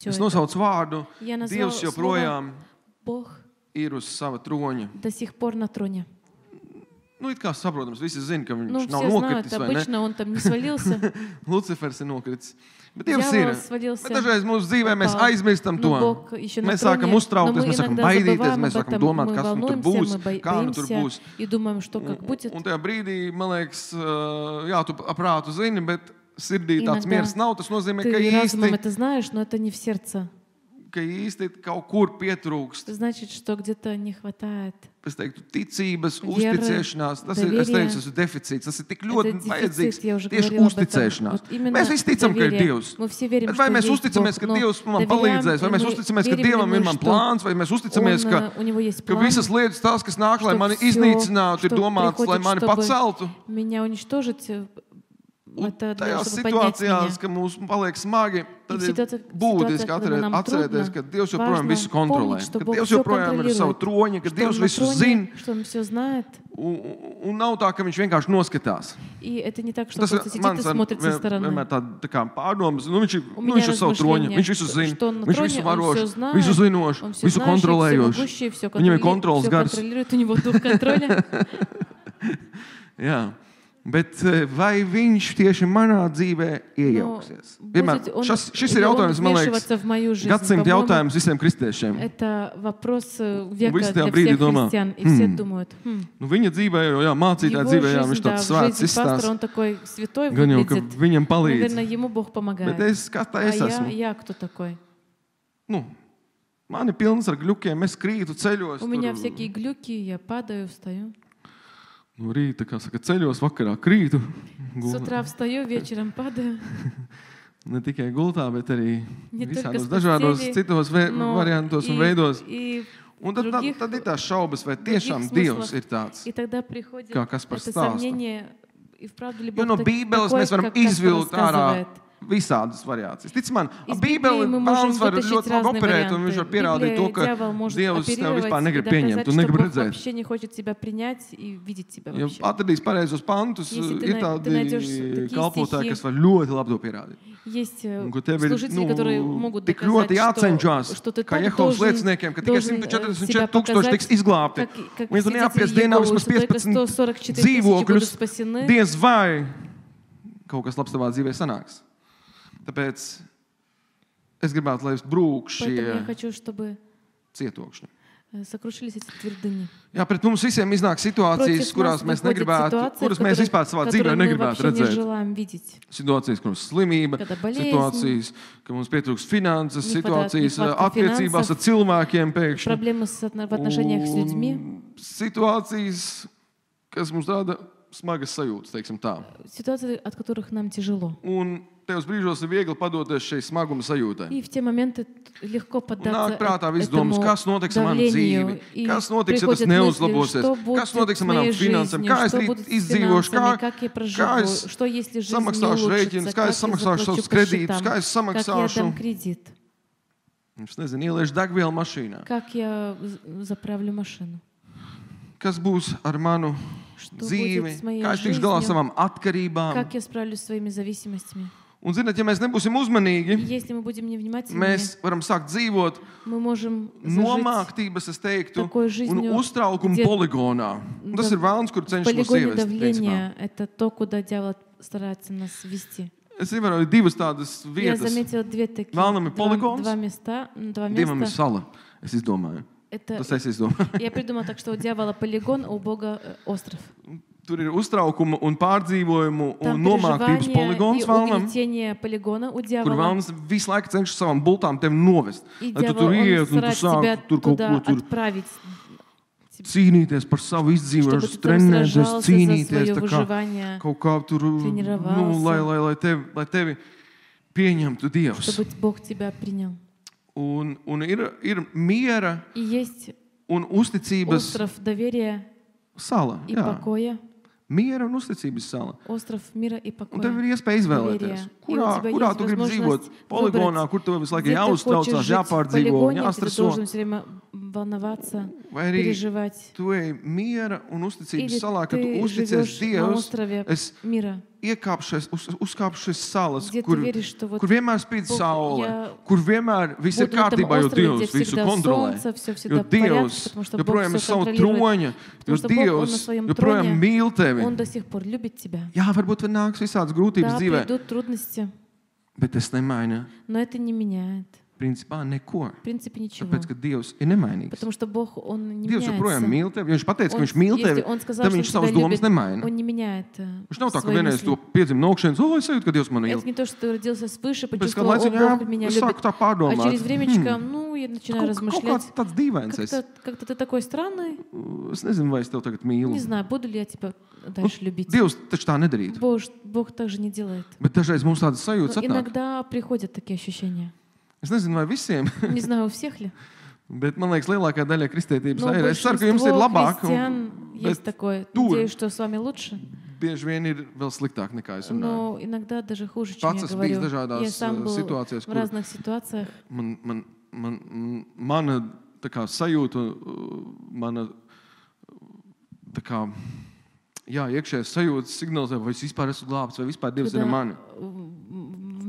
Es nosaucu vārdu, Я назвал Dievs joprojām Бог ir uz sava troņa. до сих пор на троне. Nu, it kā saprotams, visi zina, ka Ну, viņš nav все знают, nokritis, vai ne? обычно он там не свалился. Lucifers ir nokritis. Bet Dievs ir. Дьявол свалился. Bet dažreiz mūsu dzīvē mēs Попал. aizmirstam to. Но Бог еще на Mēs sākam троне, но uztraukties, мы mēs sākam иногда baidīties, забываем mēs об sākam этом, domāt, мы kas nu tur волнуемся, būs, мы kā nu tur боимся būs. и думаем, что как будет. Un tajā brīdī, man liekas, jā, tu aprātu zini, bet sirdī tāds Иногда miers nav. Tas nozīmē, ka Ты разумом īsti, это знаешь, но это не в сердце. ka īsti kaut kur pietrūkst. Значит, что где-то не хватает. Es teiktu, ticības, Viera, uzticēšanās, tas ir, es доверие. teicu, tas ir deficīts, tas ir tik ļoti Это vajadzīgs, дефицит, я уже tieši говорила об этом. uzticēšanās. Вот именно Mēs visi ticam, ka ir доверие. Dievs. Мы все верим, Bet что vai mēs есть uzticamies, Бог, ka но Dievs man доверяем, palīdzēs, vai и mēs мы uzticamies, ka верим ли Dievam мы, ir man что plāns, vai mēs uzticamies, у него есть ka план, visas lietas tās, kas nāk, lai что mani всё, iznīcinātu, ir что domāts, lai приходит, mani чтобы paceltu. меня уничтожить, Un это для того, tajās чтобы поднять situācijās, меня. ka mums paliek smagi, tad И в ir ситуациях, būtiski когда нам atcerēties, трудно, ka Dievs joprojām важно visu kontrolē, помнить, что ka Бог Dievs всё joprojām ir uz savu контролирует, troņa, ka что Dievs Он на visu троне, zina. что Он все знает. Un nav tā, ka viņš vienkārši noskatās. И это не так, что Tas просто сидит и mans смотрит со стороны. vienmēr tā kā pārdomas. Nu, У viņš меня ir uz savu troņu, размышления, viņš visu zina, что он на viņš троне, visu он varošs, все знает, visu zinošs, он все visu знающий, kontrolējošs. всемогущий, все Viņam ir kontrols gars. контролирует, у него дух контроля. Jā. Bet vai viņš tieši manā dzīvē iejauksies? Vienmēr, šis ir jautājums, man liekas, gadsimta jautājums visiem kristiešiem. Это вопрос века Visi для tajā brīdī всех domā, христиан. И все думают, Nu, viņa dzīvē, jā, mācītāja его dzīvē, jā, жизнь, viņš да, tāds в svēts жизни пастора, izstāsta. он такой святой Gan jau, ka выглядит. viņam palīdz. Наверное, ему Бог помогает. Bet kas tā А es esmu? я кто такой? Nu, man ir pilns ar gļukiem, es krītu ceļos. У меня tur, всякие глюки, я падаю, встаю. No rīta, kā saka, ceļos, vakarā krītu. С утра встаю, вечером падаю. Ne tikai gultā, bet arī Ne только visādos с dažādos постели, citos но variantos un и- veidos. и Un tad других- ir tās šaubas, vai tiešām других Dievs смыслах. ir tāds. И тогда приходит Kā Kaspars это stāsta. сомнение, и вправду ли Jo Бог no Bībeles mēs varam как Каспар izvilkt ārā рассказывает. visādas variācijas. Tic man, Из Bībeli Библии мы можем bērns var вытащить ļoti labi разные operēt, un viņš var варианты. pierādīt to, Библия, ka дьявол может Dievs tev vispār оперировать и negrib доказать, pieņemt, tu что negribi Бог redzēt. вообще не хочет тебя принять и видеть тебя Ja вообще. atradīs pareizos pantus, Если ты ir найдешь tādi такие kalpotāji, стихи, kas var ļoti labi to pierādīt. Есть Un, ka tev ir служители, которые могут tik ļoti доказать, jācenšas, что ты kā так Jehovas должен lieciniekiem, ka tikai себя 144 tūkstoši показать, tiks izglābti. как Viņi tur свидетели neapies dienā Иеговы, vismaz что только 15 144 тысячи будут dzīvokļus. спасены. Diez vai kaut kas labs tavā dzīvē sanāks. Tāpēc es gribētu, lai brūk Поэтому я šie хочу, чтобы cietokšņi. сокрушились эти твердыни. Jā, pret mums visiem iznāk situācijas, Против kurās нас mēs выходят negribētu, ситуации, kuras mēs vispār savā dzīvē которые мы negribētu вообще не redzēt. желаем видеть. Situācijas, kuras slimība, Kada болезнь, situācijas, ka mums pietrūks finanses, не хватает- situācijas нехватка attiecībās ar cilvēkiem pēkšņi. Проблемы в отношениях с людьми. Un situācijas, kas mums rada smagas sajūtas, teiksim tā. Ситуации, от которых нам tяжело. Un tajos brīžos ir viegli padoties šai smaguma sajūtai. И в те моменты легко Un поддаться nāk prātā viss этому domas, kas notiks ar manu давлению. dzīvi, И kas notiks, ja tas приходят мысли, neuzlabosies, что будет kas notiks с ar моей manām finansēm, жизнью, kā es что rīt будет с izdzīvošu, финансами, как я kā проживу, es что если жизнь не samaksāšu улучшится, rēķinus, kā как es я samaksāšu заплачу savus по kredītus, счетам, kā es как я samaksāšu, дам кредит, es nezinu, ieliešu degvielu mašīnā. как я заправлю машину. Kas būs ar manu Что dzīvi, будет с моей kā es tikšu galā ar жизнью, savām atkarībām. как я справлюсь с своими зависимостями. Un, zināt, ja mēs nebūsim И uzmanīgi, если мы будем невнимательны, mēs varam sākt dzīvot мы можем зажить nomāktības, es teiktu, такой un жизнью, uztraukuma где- poligonā. Un tas Да, ir vēlns, kur в cenšas mūs полигоне ievest. principā. давления. Это то, куда дьявол старается нас ввести. Es ievēroju divas tādas Я vietas. заметила две такие, Vēlnam ir poligons, два места. Dievam ir места. sala. Es izdomāju. Это, Tas es izdomāju. я придумала так, что у дьявола полигон, а у Бога остров. Tur ir uztraukuma un pārdzīvojumu un Там nomāktības переживание poligons и vēlnam, угнетение полигона у kur дьявола. vēlams visu laiku cenšas savām bultām tevi novest. И Lai tu дьявол, tur он iet un tu старается тебя sāki tur kaut туда ko tur отправить, cīnīties par savu чтобы izdzīvošanu, ты там trenēties, сражался за cīnīties, свое tā kā выживание, kaut kā tur, Тренировался. lai tevi pieņemtu Dievs. чтобы Бог тебя принял. Un ir miera И есть un uzticības остров доверия sala. и Jā. покоя, Miera un uzticības sala. остров мира и Un tev покоя. ir iespēja izvēlēties, Доверие. kurā, И у тебя kurā есть tu gribi возможность dzīvot. Poligonā, выбрать, kur tev visu laiku Где ты хочешь jāuztraucās, жить в jāpārdzīvo, полигоне, где ты jāstreso. должен все время волноваться, vai arī переживать. tu ej miera un uzticības Или salā, kad tu ты uzticies живешь на Dievs, острове es мира, uzkāpšu šis salas, где ты kur веришь, что вот vienmēr spīd Бог, saule, я kur vienmēr viss ir буду на этом kārtībā, jo острове, где Dievs visu всегда kontrolē. солнце, все Jo всегда в порядке, Dievs потому что Бог joprojām ir все savu контролирует. troņa, jo Потому что Бог, Он на Dievs своем joprojām троне, mīl tevi. Он до сих пор любит тебя. Jā, varbūt vēl nāks visādas grūtības Да, dzīvē, придут трудности, bet tas nemaina но это не меняет. principā neko. В принципе, ничего. Tāpēc, ka Dievs ir nemainīgs. Потому что Бог, Он не Dievs joprojām меняется. mīl tevi. Ja viņš pateica, ka Он, viņš mīl tevi, если Он сказал, tad что viņš Он savas тебя domas любит, nemaina. Он не меняет Viņš nav tā, ka свои vienreiz мысли. to piedzima no augšas, es jūtu, ka Dievs mani Это mīl. не то, что ты родился свыше, Pēc kāda почувствовал, о, laiciņa, Бог меня es любит. sāku tā А pārdomāt. через времечко, ну, я начинаю Kaut размышлять. kāds tāds dīvains es. Как-то ты такой странный. Es nezinu, vai es tev tagad mīlu. Не знаю, буду ли я тебя дальше любить. Dievs taču tā nedarītu. Бог так же не делает. Bet dažreiz mums tādas Но sajūtas atnāk. иногда приходят такие ощущения. Es nezinu, vai visiem, Не знаю, у всех ли. bet man liekas, lielākā daļa kristietības Но ir. Es ceru, ka jums ir большинство labāk. христиан Bet есть такое. tur Надеюсь, что с вами лучше. bieži vien ir vēl sliktāk nekā es runāju. Но иногда даже хуже, чем Pats я esmu bijis говорю. dažādās Я сам был situācijās, в kur разных ситуациях. mana tā kā sajūta, mana tā kā, jā, iekšējais sajūtas signalizē, vai es vispār esmu glābts, vai vispār Dievs ir ar mani.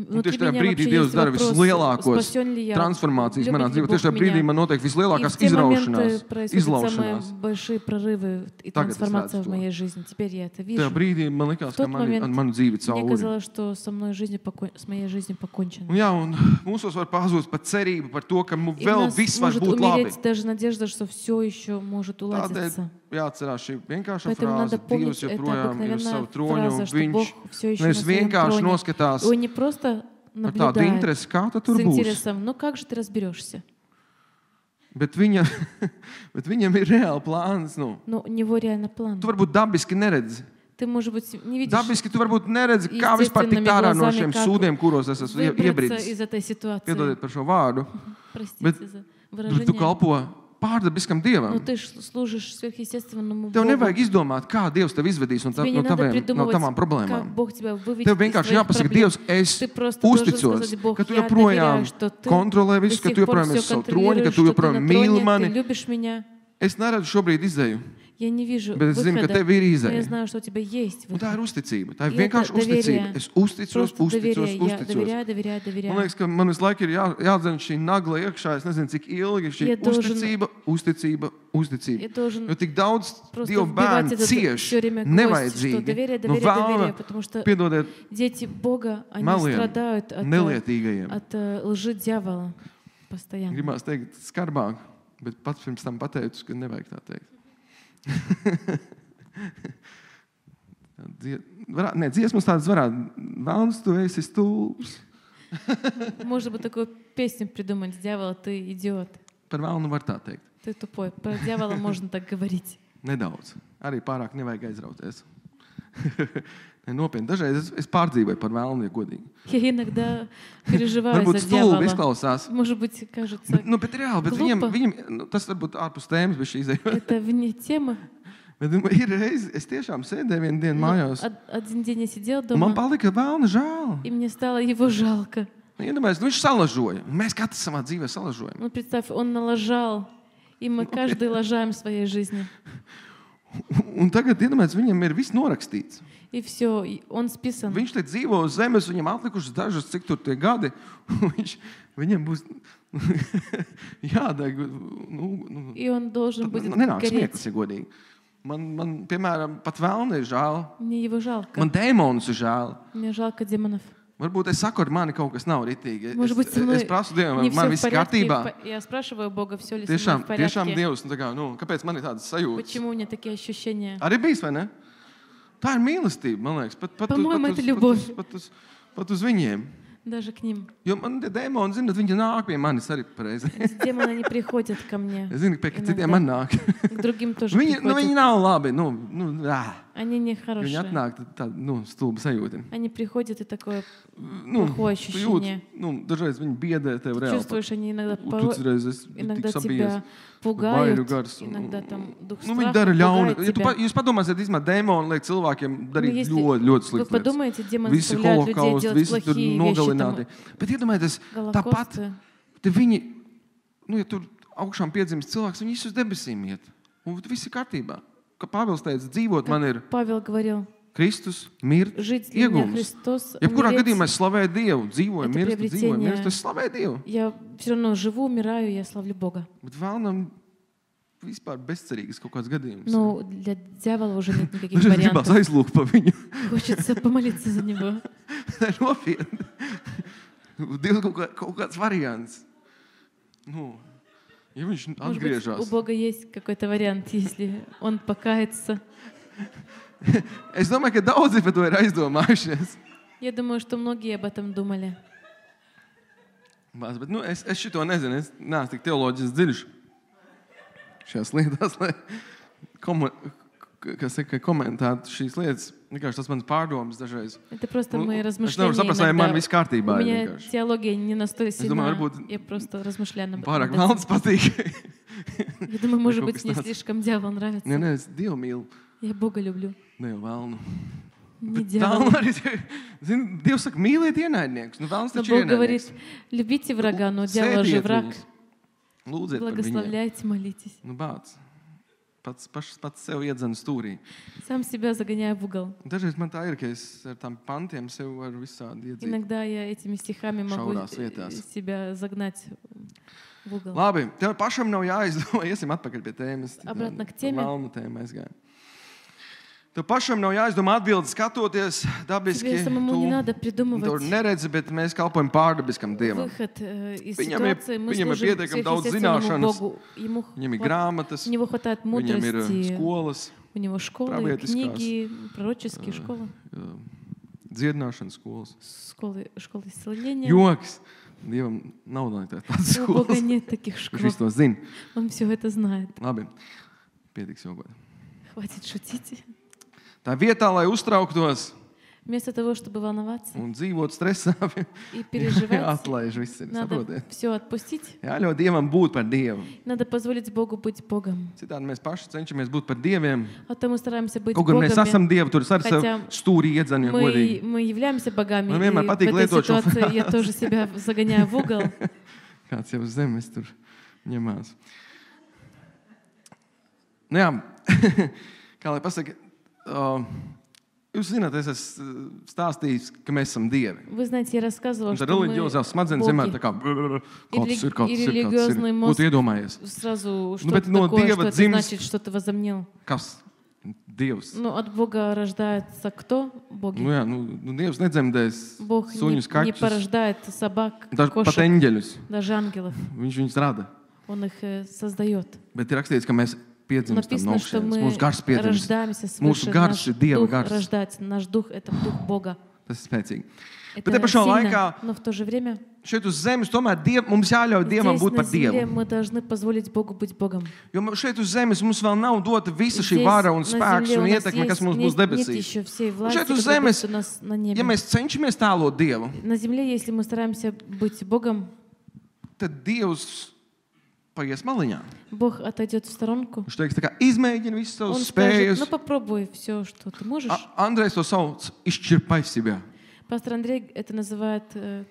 Un tieši tajā brīdī Dievs dara vislielākos transformācijas manā dzīvē. Tieši tajā brīdī man notiek vislielākās izraušanās, izlaušanās. Большие прорывы и трансформация в моей жизни. Теперь я это вижу. Tajā brīdī man likās, ka manu dzīvi Мне cauri. казалось, что с моей жизнью покончено. Un jā, un mūsos var pazūst pat cerība par to, ka И у vēl нас viss var может būt labi. умереть даже надежда, что все еще может уладиться. Jāatcerās šī vienkāršā Поэтому frāze, надо Dievs помнить, это joprojām ir uz savu обыкновенная troņu, фраза, un что Бог viņš все еще nevis на своем vienkārši троне. noskatās Он не просто ar tādu наблюдает interesi, kā tu tur с būsi. интересом, ну как же ты разберешься? Bet viņam ir reāli plāns. Nu. Но у него реально план. Tu varbūt dabiski neredzi. Ты, может быть, не видишь Dabiski tu varbūt neredzi, kā vispār tikt ārā no šiem sūdiem, kuros es esmu выбраться из iebridis. этой ситуации. Piedodiet par šo vārdu. Простите Bet за Tur tu выражение. kalpo pārdabiskam Dievam. Но ты служишь сверхъестественному Tev Богу. nevajag izdomāt, kā Dievs tev izvedīs no Тебе не надо tavām придумывать, problēmām. как Бог тебя выведет Tev из vienkārši твоих jāpasaka, проблем. Dievs, es Ты просто должен uzticos, сказать, Бог, ka tu я joprojām доверяю, что ты kontrolē до visu, ka сих tu пор joprojām все esi savu troņi, ka контролируешь, tu что ты joprojām на mīli троне, ты mani. любишь меня. Es neredzu šobrīd izēju, Я не вижу bet es zinu, ka выхода, tev ir но я izēja. знаю, что у тебя есть Un tā выход. ir uzticība. Tā ir И это vienkārši uzticība. доверие. Es uzticos, Просто доверие. Я uzticos. доверяю. Man liekas, ka man visu laiku ir jādzen šī nagla iekšā. Es nezinu, cik ilgi šī Я должен- uzticība. Я должен Jo tik daudz просто Dieva вбивать bērnu это cieš все время гвоздь, что nevajadzīgi. доверие, No доверие, vēlna, потому что piedodiet, дети Бога, они meliem, страдают nelietīgajiem. от лжи дьявола постоянно. Gribās teikt skarbāk, bet pats pirms tam pateicu, ka nevajag tā teikt. Dziesmas tādas varētu. Vēlns, tu esi stulbs. Можно бы такую песню придумать. Дьявол, ты идиот. Par vēlnu var tā teikt. Ты тупой. Про дьявола можно так говорить. Nedaudz. Arī pārāk nevajag aizrauties. Nopietni. Dažreiz es pārdzīvoju par vēlnu, ja godīgi. Я иногда переживаю Varbūt за stulbi дьявола. izklausās. Может быть, кажется, Bet reāli, bet Glupa. viņam tas varbūt ārpus tēmas, bet šī izēja. это вне темы. Bet ir reizi, es tiešām sēdēju vienu dienu mājās. Один день я сидела Un man дома, palika vēlna žēl. и мне стало его жалко. Iedomājieties, viņš salažoja. Un mēs katrs savā dzīvē salažojam. Ну, представь, он налажал, и мы каждый лажаем в своей жизни. Un tagad, iedomājieties, viņam ir viss norakstīts. И все, он списан. Viņš te dzīvo uz zemes, viņam atlikušas dažas, cik tur tie gadi. Viņam būs jādeg. И он должен будет Nenāk гореть. smieklus, ja godīgi. Man, piemēram, pat vēlna ir žēl. Мне его жалко. Man dēmonus ir žēl. Мне жалко демонов. Varbūt es saku, ar mani kaut kas nav ritīgi. Может быть, со мной Es prasu Dievam, не vai man все в viss порядке. kārtībā. Я спрашиваю Бога, все ли со мной в Tiešām порядке. Dievs, tā kā, kāpēc man ir tādas sajūtas? Почему у меня такие ощущения? Arī bijis, vai ne? Tā ir mīlestība, man liekas. По-моему, это любовь. Pat uz viņiem. Даже к nим. Jo man tie dēmoni, zināt, viņi nāk pie manis arī pareizi. Эти демоны не приходят ко мне. Es zinu, ka pie Иногда. citiem man nāk. К другим тоже Viņi приходят. nav labi. Они Viņi нехорошие. atnāk tāda stulba sajūta. Они приходят, и такое плохое Tu ощущение. jūti, dažreiz viņi biedē tev reāli. Чувствуешь, они иногда, иногда Inogda тебя пугают, иногда там дух Viņi страха dara ļaunu. пугает Ja тебя. jūs padomāsiet, īstenībā dēmoni liek cilvēkiem darīt если ļoti, ļoti Вы sliktas lietas. подумаете, демоны Visi заставляют людей holokausti, делать visi tur плохие вещи, nogalināti. там, Bet iedomājieties, tāpat голокосты. te viņi, ja tur augšām piedzimst cilvēks, viņš uz debesīm iet. Un viss ir kārtībā. Kā Pāvils teica, dzīvot man ir Павел говорил, Kristus, mirt, жить для меня iegūms. Христос, Jebkurā умереть. gadījumā es slavēju Dievu, dzīvoju, Это mirstu, dzīvoju, приобретение. mirstu, es slavēju Dievu. Я все равно живу, умираю, я славлю Бога. Bet vēlnam vispār bezcerīgas kaut kāds gadījums. Но для дьявола уже нет никаких Dažreiz gribās вариантов. aizlūgt pa viņu. Хочется помолиться за него. Nopietni. Dievs kaut kāds variants. Nu, ja viņš Может быть, atgriežas. у Бога есть какой-то вариант, если он покается. Es domāju, ka daudzi par to ir aizdomājušies. Я думаю, что многие об этом думали. Bet es šito nezinu. Es neesmu tik teoloģiski dziļš šajās lietās, lai komentētu šīs lietas. Vienkārši tas mans pārdomas dažreiz. Это просто мои Es размышления nevaru saprast, vai man иногда. viss kārtībā У ir меня vienkārši. теология не настолько думаю, сильна. varbūt Я просто размышляю об Pārāk этом. velns patīk. Я думаю, может Kaut быть, kas мне tāds. слишком дьявол нравится. Nē, es Dievu mīlu. Я Бога люблю. Ne jau vēlnu. Не Vēlnu дьявола. arī, zini, Dievs saka, mīliet ienaidniekus. Nu, vēlns Но taču Бог говорит, ienaidnieks. любите врага, но дьявол же Sēdiet враг. viņus. Lūdziet par viņiem. Благословляйте, молитесь. Nu, bāc. Pats sev iedzen stūrī. Сам себя загоняю в угол. Dažreiz man tā ir, ka es ar tām pantiem sev varu visādi iedzīt. Иногда я этими стихами могу Šaurās vietās. себя загнать в угол. Labi, tev pašam nav jāizdomā. Iesim atpakaļ pie tēmas. Обратно к теме. Vēlnu tēmu aizgājām. Tev pašam nav jāizdomā atbildes skatoties dabiski. Тебе самому не надо Tu придумывать neredzi, bet mēs kalpojam pārdabiskam Dievam. выход из Viņam ir- ситуации. Мы viņam ir служим pietiekami daudz сверхъестественному zināšanas. Богу. Viņam ir grāmatas, У него хватает viņam ir мудрости. skolas, У него школы, праведескās, книги, пророческие школы, dziedināšanas skolas. школы исцеления. Joks. Dievam nav tādas У Бога skolas. нет таких Viņš школ. visu to zina. Он все это знает. Labi, pietiks jogot. Хватит шутить. Tā vietā, lai uztrauktos Вместо того, чтобы волноваться un dzīvot stresā, и переживать, atlaiž viss. надо Saprotiet? все отпустить. Jāļauj Dievam būt par Dievu. Надо позволить Богу быть Богом. Citādi mēs paši cenšamies būt par Dieviem. А то мы стараемся быть Kaut gan mēs esam Богами. Dievi, tur arī sev Хотя stūrī iedzanījam godīgi. Мы являемся богами. Man И vienmēr в patīk этой lietot šo ситуации я тоже себя загоняю в угол. Kāds jau uz zemes tur ņemās. Nu jā, kā lai pasaka, jūs zināt, es esmu stāstījis, ka mēs esam Dievi. Вы знаете, я рассказывала, Un tad что мы reliģiozās smadzenes vienmēr tā боги. kā kāds ir, kāds И ir, kāds ir. религиозный Ko мозг tu iedomājies? сразу bet что-то no такое, Dieva что это dzimst- значит, что ты возомнил. Kas? Dievs. Ну, от Бога рождается кто? Боги. Nu jā, Dievs nedzemdēs Бог suņus, не kaķus, порождает собак, pat кошек, eņģeļus. даже ангелов. Viņš viņus rada. Он их создает. Bet ir rakstīts, ka mēs piedzimstam no Написано, что augšas. мы Mūsu gars piedzimst. рождаемся Mūsu свыше. gars Наш ir Dieva дух gars. рождается. Наш дух — это дух Бога. Tas ir spēcīgi. Это Bet te pašā сильно, laikā но в то же время šeit uz zemes tomēr mums jāļauj Dievam здесь būt на par земле Dievu. мы должны позволить Богу быть Богом. Jo šeit uz zemes mums vēl nav dota visa šī Здесь vara un на spēks земле un у нас ietekme, kas есть- mums būs нет debesīs. еще всей власти, šeit uz которая zemes, будет у нас на небе. ja mēs cenšamies tēlot Dievu, На земле, если мы стараемся быть Богом, tad Dievs paies maliņā. Бог отойдет в сторонку. Viņš teiks, tā kā izmēģini visas Он savas скажет, spējas. ну попробуй все, что ты можешь. Andrejs to sauc izšķirpai себя. Пастор Андрей это называет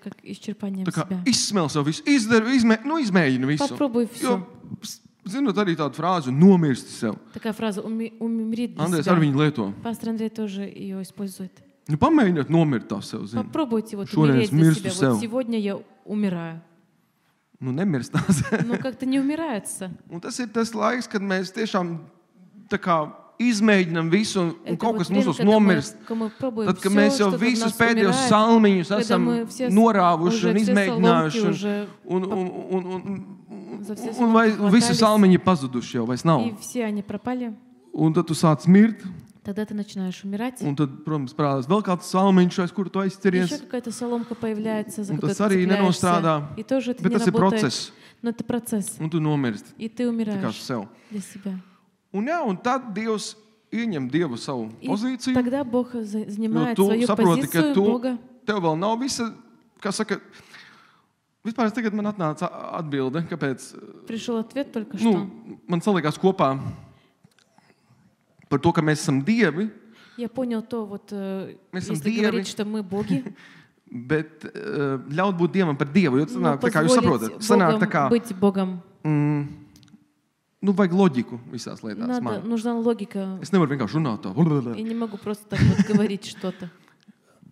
как исчерпанием Tā kā себя. izsmēl sev visu, izmēģini visu. Попробуй Jo, все. zinot arī tādu frāzi, nomirsti sev. Такая фраза «умри для Andrejs себя». arī viņu lieto. Пастор Андрей тоже ее использует. Nu, pamēģiniet nomirt tā sev, zini. Попробуйте вот Šoreiz умереть для mirstu себя. sev. Вот сегодня я умираю. Nu, nemirst tās. Но как-то не умирается. Un tas ir tas laiks, kad mēs tiešām tā kā izmēģinām visu, un Это kaut вот kas время, mūsos когда nomirst. мы пробуем Tad, kad всё, mēs jau что-то в visus нас pēdējos умирает, salmiņus когда esam мы все norāvuši уже un все izmēģinājuši, соломки уже un за все vai соломки visi хватались, salmiņi ir pazuduši jau, vairs nav. и все они пропали, Un tad tu sāc mirt, тогда ты начинаешь умирать. un tad, protams, parādās vēl kāds salmiņš, aiz kuru tu Еще aizceries. какая-то соломка появляется, за Un которую tas arī ты nenostrādā. цепляешься. И тоже это Bet не tas ir работает. process, Но это процесс. un tu nomirsti И ты tikai умираешь sev. для себя. Un, jā, un tad Dievs ieņem Dievu savu И pozīciju. тогда Бог Jo занимает tu свою saproti, ka позицию Бога. tev vēl nav visa, kā saka, vispār tagad man atnāca atbilde, kāpēc, Пришел ответ только nu, что. man salikās kopā par to, ka mēs esam Dievi, Я понял то, вот, esam если dievi. говорить, что мы боги, bet ļaut būt Dievam par Dievu. Jo но sanāk, tā kā jūs saprotat, позволить sanāk tā Богом kā быть Богом. vajag loģiku visās lietās. Нужна логика. Es nevaru vienkārši runāt tā. Я не могу просто так вот говорить что-то.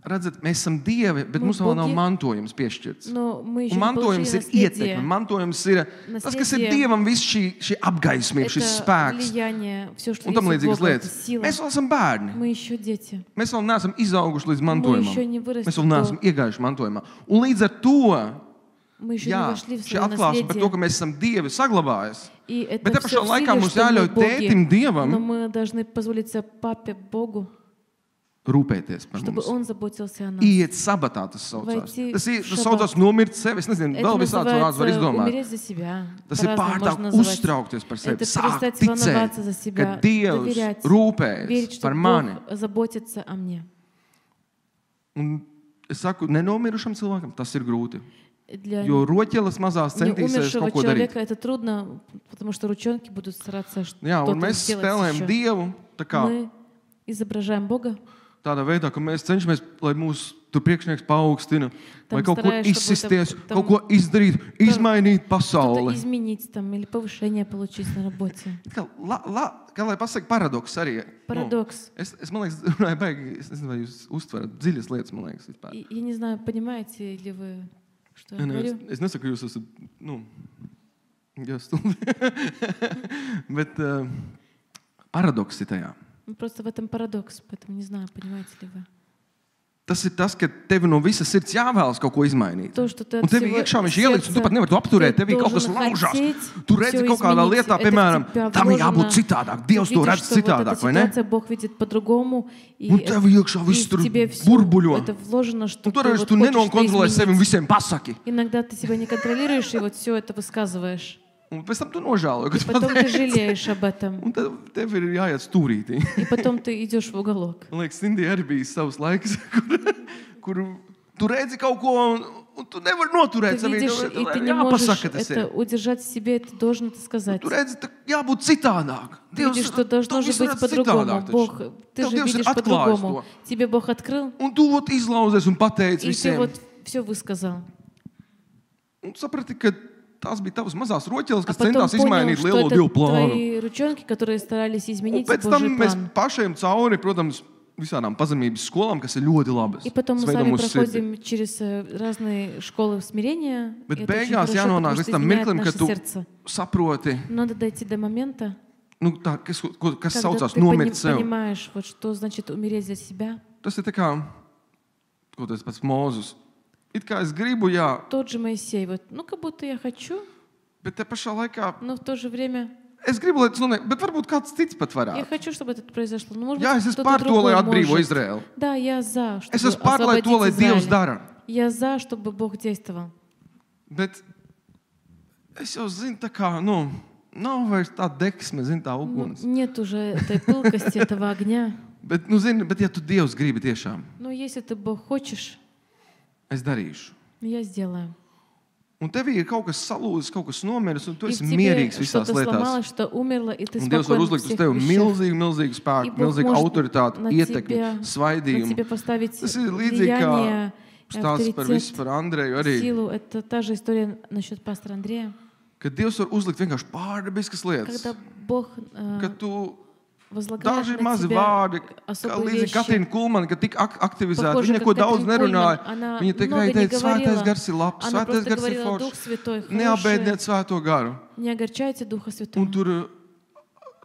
Redzat, mēs esam dievi, bet mums vēl nav mantojums piešķirts. Un mantojums ir ietekme. Mantojums ir tas, kas ir dievam, viss šī apgaismība, šis spēks. Un tam līdzīgas lietas. Mēs vēl esam bērni. Mēs vēl neesam izauguši līdz mantojumam. Mēs vēl neesam iegājuši mantojumā. Un līdz ar to, šī atklāsme par to, ka mēs esam dievi, saglabājas. Bet te pašā laikā mums jāļauj tētim dievam rūpēties par mums. Iet sabatā, tas saucās. Tas saucās nomirt sevi. Es nezinu, vēl visāds vārds var izdomāt. Tas ir pārtāk uztraukties par sevi. Sāk ticēt, ka Dievs rūpējas par mani. Un es saku, nenomirušam cilvēkam tas ir grūti. Jo roķeles mazās centīsies kaut ko darīt. Это трудно, потому что ручонки будут стараться что-то сделать. Un mēs spēlējam Dievu, tā kā мы изображаем Бога. Tādā veidā, ka mēs cenšamies, lai mūsu priekšnieks paaugstina, lai kaut ko izsisties, kaut ko izdarīt, izmainīt pasauli. Kā lai pasaka paradoks arī. Paradoks. Es man liekas, runāju baigi, es nezinu, vai jūs uztverat dziļas lietas, man liekas, vispār. Я не знаю, понимаете ли вы, что я говорю? Es nesaku, ka jūs esat, stulbi. Bet paradoks ir tajā. Просто в этом парадокс, поэтому не знаю, понимаете ли вы. Tas ir tas, ka tev no visas sirds jāvēlas kaut ko izmainīt. Un tev iekšā viņš ieliks, un tu pat nevari to apturēt. Tev kaut kas laužās. Tu redzi kaut kādā lietā, piemēram, tam ir jābūt citādāk. Dievs to redz citādāk, vai ne? Un tev iekšā viss tur burbuļo. Un toreiz tu nenokontrolē sevi un visiem pasaki. Иногда ты себя не контролируешь и вот все это высказываешь. Un pēc tam tu nožēlo, ka tu потом ты жалеешь об этом. Un tev ir jāiet stūrītī. И потом ты идешь в уголок. Man liekas, Indija arī bija savs laiks, kur tu redzi kaut ko, un tu nevari noturēt sevi. И ты не можешь это удержать в себе, ты должен это сказать. Tu redzi, jābūt citādāk. Ты видишь, что должно же быть по-другому. Бог, ты же видишь по-другому. Тебе Бог открыл. Un tu вот izlauzies un pateici visiem. И ты вот все высказал. Un saprati, ka tās bija tavas mazās roķeles, kas centās izmainīt lielo Dievu plānu. Un pēc tam mēs pašiem cauri, protams, visādām pazemības skolām, kas ir ļoti labas. Bet beigās jānonāk līdz tam mirklim, ka tu saproti, kas saucās nomirt sev. Tas ir tā kā, ko tas pats Mūzus. It kā es gribu, jā. Тот же Моисей, вот, как будто я хочу. Bet te pašā laikā. Но в то же время. Es gribu, lai tas notiek, bet varbūt kāds cits pat varētu. Я хочу, чтобы это произошло. Но может jā, es esmu par to, lai atbrīvo Izraēlu. Да, я за, чтобы es esmu par to, lai Dievs dara. Я за, чтобы Бог действовал. Bet es jau zinu, tā kā, nav vairs tā deksme, tā uguns. Нет уже этой пылкости, этого огня. Bet ja tu Dievs gribi tiešām. Но если ты Бог хочешь. Es darīšu. Я сделаю. Un tev ir kaut kas salūzis, kaut kas nomiris, un tu esi mierīgs visās lietās. Un Dievs var uzlikt uz tevi milzīgu spēku, milzīgu autoritāti, ietekmi, svaidījumu. Tas ir līdzīgi kā stāsts par visu par Andreju arī. Kad Dievs var uzlikt vienkārši pārdabiskas lietas. Kad tu daži mazi vārdi, līdzīgi Katrīna Kulmana, kad tik aktivizēta, viņa neko daudz nerunāja. Viņa tikai teica, svētais gars ir labs, svētais gars ir foršs. Neapbēdiniet svēto garu. Un tur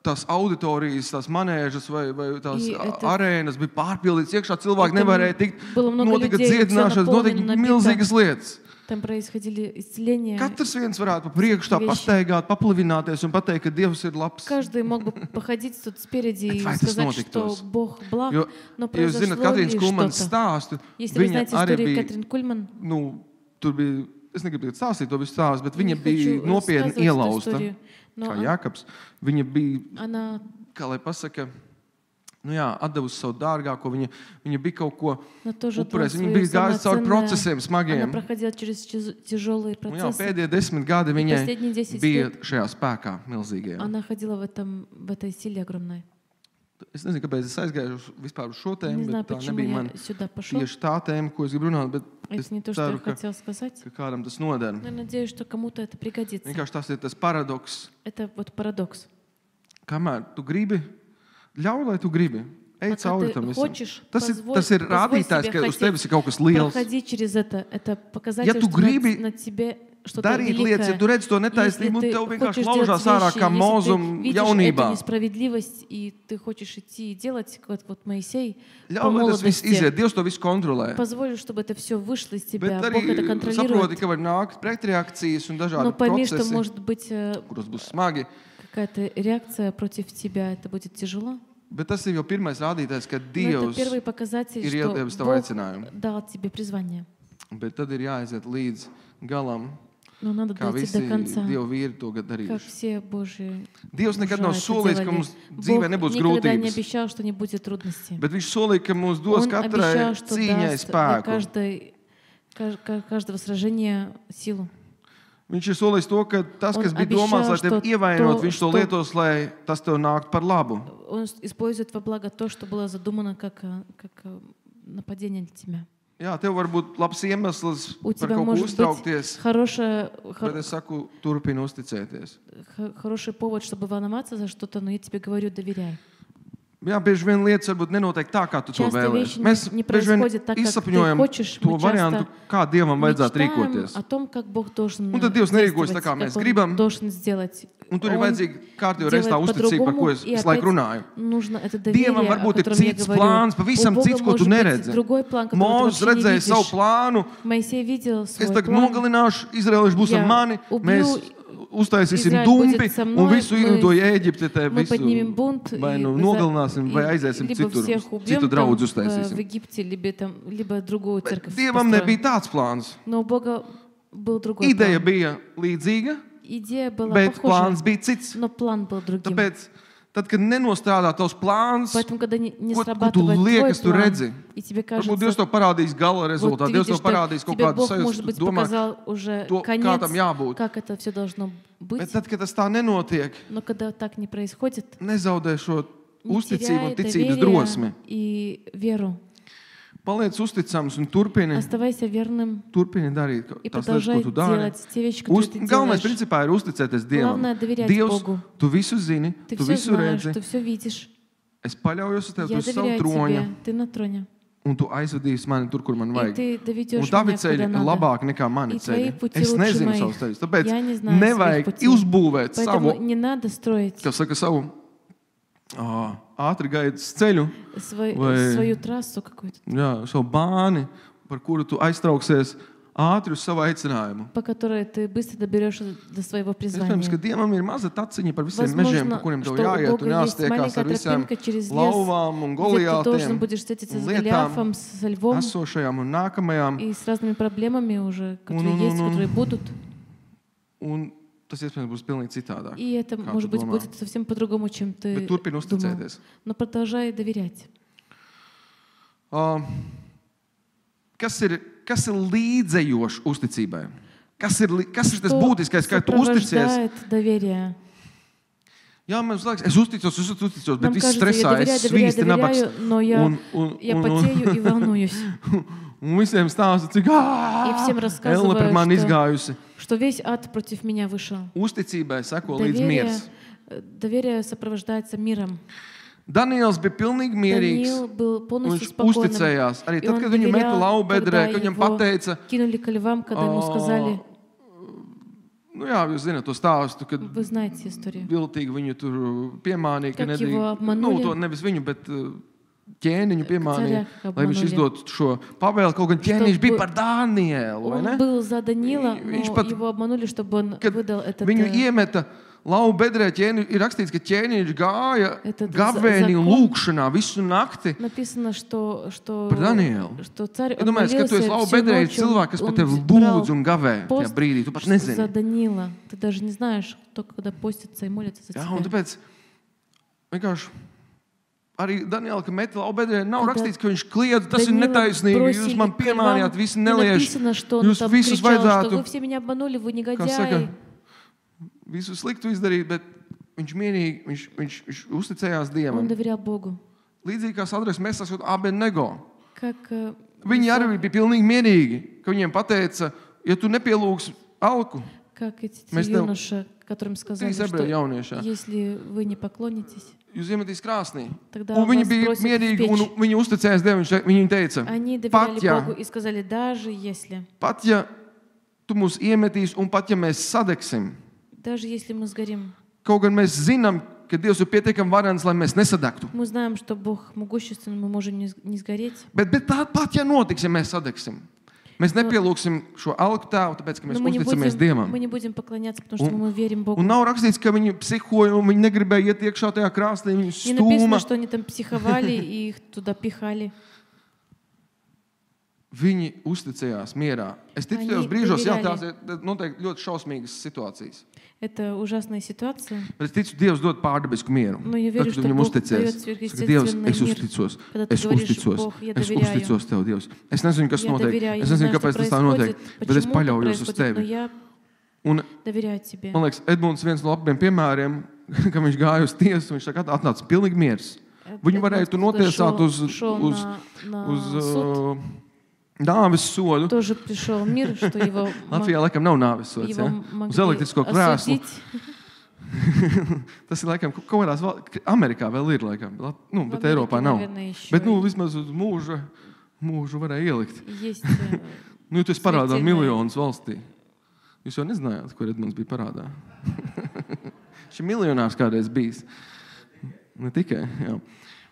tās auditorijas, tās manēžas vai tās arēnas bija pārpildītas iekšā, cilvēki nevarēja tikt, notika dziedināšanas, notika milzīgas lietas. Там происходили исцеления. Katrs viens varētu pa priekšu tā pastaigāt, paplivināties un pateikt, ka Dievs ir labs. Каждый мог бы походить тут спереди и сказать, что Бог благ, но произошло ли что-то. Если вы знаете историю Катрин Кульман, tur bija, es negribu stāstīt to visu stāstu, bet viņa bija nopietni ielausta, kā Jākabs. Viņa bija, kā lai pasaka, atdevusi savu dārgāko, viņa bija kaut ko upurējusi, viņa bija gājusi cauri procesiem smagiem. Un pēdējie 10 gadi viņai bija šajā spēkā milzīgajā. Es nezinu, kāpēc es aizgāju vispār uz šo tēmu, bet tā nebija man tieši tā tēma, ko es gribu runāt, bet es ceru, ka kādam tas noder. Vienkārši tas ir tas paradoks. Kamēr tu gribi, ļauj, lai tu gribi. Ej cauri tam visam. Tas ir rādītājs, ka uz tevis ir kaut kas liels. Ja tu gribi darīt lietas, ja tu redz to netaisnību, un tev vienkārši laužās ārā kā mūzum jaunībā. Ļauj, lai tas viss iziet. Dievs to visu kontrolē. Bet arī saproti, ka var nākt pretreakcijas un dažādi procesi, kuros būs smagi. Какая-то реакция против тебя, это будет тяжело. Bet tas ir jau pirmais rādītājs, ka Dievs ir iedevis tavu aicinājumu. Bet tad ir jāaiziet līdz galam, kā visi Dieva vīri to darījuši. Dievs nekad nav solījis, ka mums dzīvē nebūs grūtības. Bet viņš solīja, ka mums dos katrai cīņai spēku. Viņš ir solījis to, ka tas, kas bija domāts, lai tevi ievainot, viņš to lietos, lai tas tev nāktu par labu. Jā, tev var būt labs iemesls par kaut ko uztraukties, bet es saku, turpini uzticēties. Jā, bieži vien lietas varbūt nenotiek tā, kā tu to vēlies. Mēs bieži vien izsapņojam to variantu, kā Dievam vajadzētu rīkoties. Un tad Dievs nerīkojas tā, kā mēs gribam. Un tur ir vajadzīga kārtībā reizē tā uzticība, par ko es visu laiku runāju. Dievam varbūt ir cits plāns, pavisam cits, ko tu neredzi. Mūzes redzēja savu plānu. Es tagad nogalināšu, Izraelieši būs ar mani, mēs uztaisīsim dumpi un visu izlidoju Ēģipte, te visu vai nu nogalināsim, vai aiziesim citu draudzu uztaisīsim. Dievam nebija tāds plāns. Ideja bija līdzīga, bet plāns bija cits. Tāpēc, tad, kad nenostrādā tavs plāns, ko tu liekas, tu redzi, varbūt Dievs to parādīs gala rezultātu, Dievs to parādīs kaut kādu sajūstu, domā, to, kā tam jābūt. Bet tad, kad tas tā nenotiek, nezaudē šo uzticību un ticības drosmi. Paliec uzticams un turpini darīt tās lietas, ko tu dari. Galvenais principā ir uzticēties Dievam. Dievs, tu visu zini, tu visu redzi. Es paļaujos uz tevi, tu esi savu troņa. Un tu aizvedīsi mani tur, kur man vajag. Un tavi ceļi ir labāki nekā mani ceļi. Es nezinu savus ceļus, tāpēc nevajag uzbūvēt savu, kā saka, savu ātri gaitas ceļu, savu bāni, par kuru tu aiztrauksies ātri uz savu aicinājumu. Iespējams, ka Dievam ir maza taciņa par visiem mežiem, par kuriem tev jāiet un jāstiekās ar visiem lauvām un Goliātiem un lietām esošajām un nākamajām. Un tas iespējams būs pilnīgi citādāk. Bet turpini uzticēties. Kas ir līdzējošs uzticībai? Kas ir tas būtiskais, kā tu uzticies? Jā, man liekas, es uzticos, bet viss stresā, es svīsti nabaks. Un visiem stāsta, cik elle pret mani izgājusi. Uzticībai seko līdz miers. Daniels bija pilnīgi mierīgs, un viņš uzticējās. Arī tad, kad viņu meta laubedrē, kad viņam pateica, nu jā, jūs zināt to stāstu, kad viltīgi viņu tur piemānīja, ka to nevis viņu, bet ķēniņu piemānīja, lai viņš izdot šo pavēli, kaut gan ķēniņš bija par Danielu, vai ne? Kad viņu iemeta lauva bedrē, ir rakstīts, ka ķēniņš gāja gavēnī un lūkšanā visu nakti par Danielu. Ja domājies, ka tu esi lauva bedrē, ir cilvēki, kas par tevi lūdz un gavē tajā brīdī, tu pat nezini. Jā, un tāpēc vienkārši arī Daniela, ka meta lauva bedrē, nav rakstīts, ka viņš kliedz, tas ir netaisnīgi, jūs man piemānījāt, visi nelieši, jūs visus vajadzētu, kā saka, visu sliktu izdarīt, bet viņš mierīgi, viņš uzticējās Dievam. Он доверял Богу. Līdzīgi kā Sadraks Mesaks un Abednego. Как Viņi arī bija pilnīgi mierīgi, ka viņiem pateica, ja tu nepielūgsi alku, как эти юноши, которым сказали, что если вы не поклонитесь, jūs iemetīs krāsnī. Un viņi bija mierīgi un viņi uzticējās Dievam. Viņi teica, pat ja tu mūs iemetīs un pat ja mēs sadegsim, kaut gan mēs zinām, ka Dievs ir pietiekami varens, lai mēs nesadegtu. Bet pat ja notiks, ja mēs sadegsim, mēs nepielūgsim šo alku tēvu, tāpēc, ka mēs uzticamies Dievam. Un nav rakstīts, ka viņi psihoja un viņi negribēja iet iekšā tajā krāsnī, viņi stūma. Viņi uzticējās mierā. Es ticu tajos brīžos, jā, tās ir noteikti ļoti šausmīgas situācijas. Это ужасная ситуация. Bet es ticu, Dievs dod pārdabisku mieru. Tad, kad viņam uzticies. Saka, Dievs, es uzticos Tev, Dievs. Es nezinu, kas notiek. Es nezinu, kāpēc tas tā notiek. Bet es paļaujos uz Tevi. Un, man liekas, Edmunds viens no labiem piemēriem, ka viņš gāja uz tiesu, viņš saka, atnāca pilnīgi miers. Viņu varēja tu notiesāt uz nāves sodu. Latvijā laikam nav nāves sods, ja? Uz elektrisko krēslu. Tas ir laikam, kaut kādās Amerikā vēl ir laikam, bet Eiropā nav. Bet, vismaz uz mūžu varēja ielikt. Ja tu esi parādā miljonus valstī. Jūs jau nezinājāt, kur Edmunds bija parādā. Šis miljonārs kādreiz bijis. Ne tikai, jā.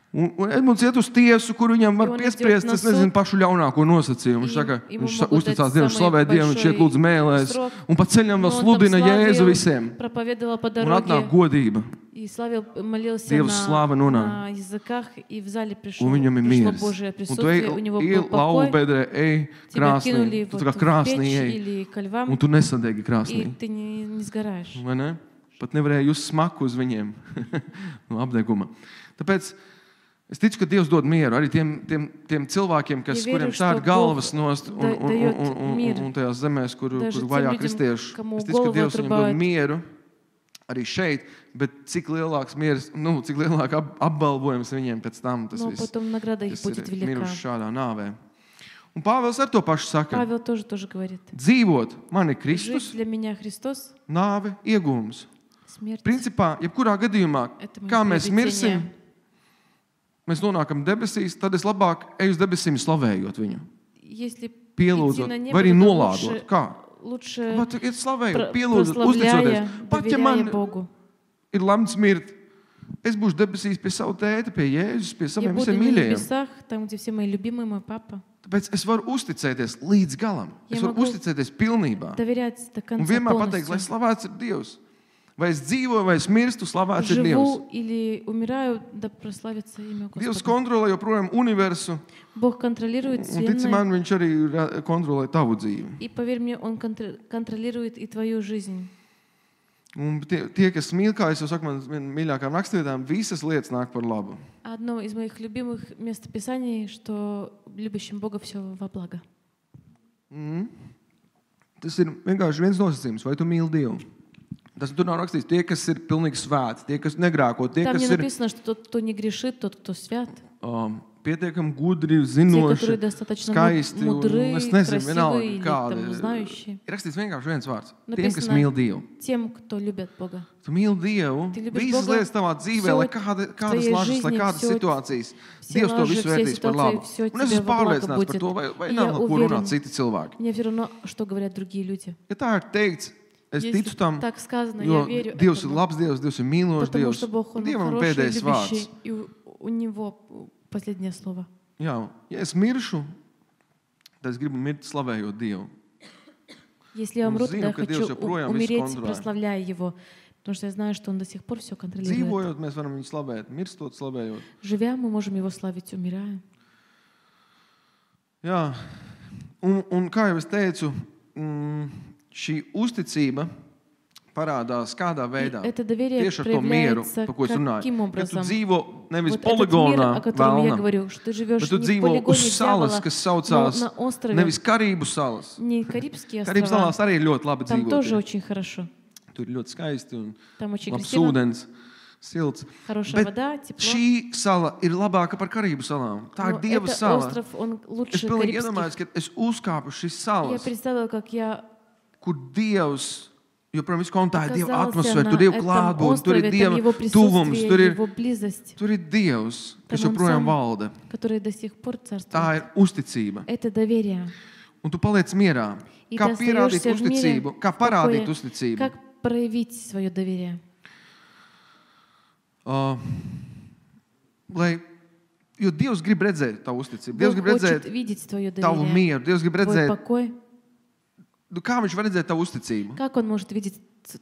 Un Edmunds iet uz tiesu, kur viņam var piespriest, es nezinu, pašu ļaunāko nosacījumu. Viņš saka, viņš uzticās Dievu, slavē Dievu, viņš iet lūdzu mēlēs, un pa ceļam vēl sludina Jēzu visiem. Un atnāk godība. Dievs slāva nonāk. Un viņam ir miers. Un tu ej lauvu bedrē, ej krāsnī, tu kā krāsnī ej, un tu nesadegi krāsnī. Vai ne? Pat nevarēja just smaku uz viņiem no apdeguma. Tāpēc es ticu, ka Dievs dod mieru arī tiem cilvēkiem, kuriem stāda galvas nost un tajās zemēs, kur vajā kristieši. Es ticu, ka Dievs viņam dod mieru arī šeit, bet cik lielāks miers, cik lielāk apbalvojums viņiem pēc tam tas viss, kas ir miruši šādā nāvē. Un Pāvils ar to pašu saka, dzīvot man ir Kristus, nāve iegūms. Principā, jebkurā gadījumā, kā mēs mirsim, mēs nonākam debesīs, tad es labāk eju uz debesīm slavējot viņu. Pielūdzot, vai arī nolādot. Kā? Ir slavējot, pielūdzot, uzticoties. Pat ja man ir lemts mirt, es būšu debesīs pie savu tēta, pie Jēzus, pie saviem visiem mīļajiem. Tāpēc es varu uzticēties līdz galam. Es varu uzticēties pilnībā. Un vienmēr pateikt, lai slavēts ir Dievs. Vai es dzīvoju, vai es mirstu, slavēts ir Dievs. Dievs kontrolē joprojām universu. Un tici man, viņš arī kontrolē tavu dzīvi. Un tie, kas mīl, kā es jau saku, man viena mīļākām rakstvietām, visas lietas nāk par labu. Одно из моих любимых местописаний, что любящим Бога все во благо. Tas ir vienkārši viens nosacījums, vai tu mīli Dievu. Tas tur nav rakstīts, tie, kas ir pilnīgi svēti, tie, kas negrāko, tie, kas ir... Там не написано, что тот, кто не грешит, тот, кто свят. Pietiekami gudri, zinoši, skaisti, un es nezinu, vienalga kādi. Ir rakstīts vienkārši viens vārds. Tiem, kas mīl Dievu. Tiem, кто любят Бога. Tu mīli Dievu, visas lietas tavā dzīvē, lai kādas lažas, lai kādas situācijas. Dievs to visu vērtīs par labu. Un es esmu pārliecināts par to, vai nav no ko runāt citi cilvēki. Мне все равно, что говорят другие люди. Ja tā ir teikts, es ticu tam, jo Dievs ir labs Dievs, Dievs ir mīlošs Dievs. Dievam ir pēdējais vārds. У него последнее слово. Jā, ja es miršu, tad es gribu mirt slavējot Dievu. Если я умру, тогда я хочу умереть, прославляя Его, потому что я знаю, что Он до сих пор все контролирует. Dzīvojot, mēs varam viņu slavēt, mirstot, slavējot. Живя, мы можем Его славить, умирая. Jā, un kā jau es teicu, šī uzticība parādās kādā veidā. Tieši ar to mieru, par ko es runāju. Kad tu dzīvo nevis poligonā vēlna, bet tu dzīvo uz salas, kas saucās nevis Karību salas. Karību salās arī ļoti labi dzīvot. tur ir ļoti skaisti un Там очень labs красиво, ūdens, silts. хорошая Bet вода, тепло. šī sala ir labāka par Karību salām. Tā ir Но Dieva этот sala. остров, он Es лучше pilnīgi Карибских. iedomājos, ka es uzkāpu šīs Я salas, представила, как я kur Dievs, jo, protams, tā ir Dieva оказался atmosfēra, на tur ir Dieva этом klātbūtne, tur ir острове, Dieva там его tuvums, присутствие, его близость, tur ir Dievs, kas Tam un joprojām sam. valda. который до сих пор Tā царствует. ir uzticība. Это доверие. Un tu paliec mierā. И Kā ты pierādīt остаешься в мире, uzticību, kā в parādīt покое. uzticību. Как проявить свое доверие? Jo Dievs grib redzēt tavu uzticību. Бог Dievs grib хочет redzēt видеть твое tavu доверие, mieru. Dievs grib твой redzēt, покой. kā viņš var redzēt tavu uzticību. Как Он может видеть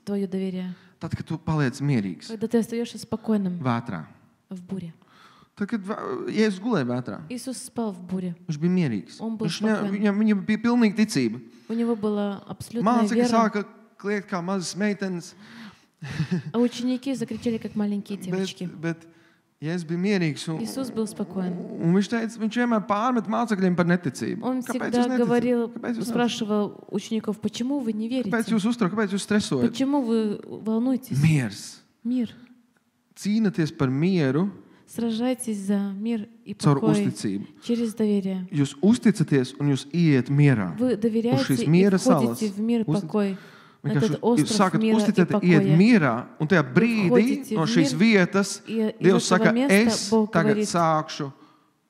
твое доверие? Tad, kad tu paliec mierīgs Когда ты остаешься спокойным vētrā. в буре. Tad, kad Jēzus gulēja vētrā, Иисус спал в буре. viņš bija mierīgs. Un был spokojn. Viņam bija pilnīga ticība. У него была абсолютная Mācekļi вера, sāka kliegt kā mazas meitenes, а ученики закричали, как маленькие девочки. bet Jēzus bija mierīgs. Иисус был спокоен. Un viņš teica, viņš vienmēr pārmet mācekļiem par neticību. Он Kāpēc всегда jūs говорил, Kāpēc jūs спрашивал учеников, почему вы не Kāpēc верите? jūs uztraucat, kāpēc jūs stresojat? Почему вы волнуетесь? Miers. Мир. Cīnaties par mieru Сражайтесь за мир и caur покой uzticību. через доверие. Jūs uzticaties un jūs iet mierā. Вы Uz доверяете šīs и miera salas. входите в мир и покой. На Vienkārši этот jūs остров sākat мира и uzticēt, iet покоя. mierā, un tajā brīdī входите no в šīs мир, vietas И из Dievs этого saka, места es Бог tagad говорит, sākšu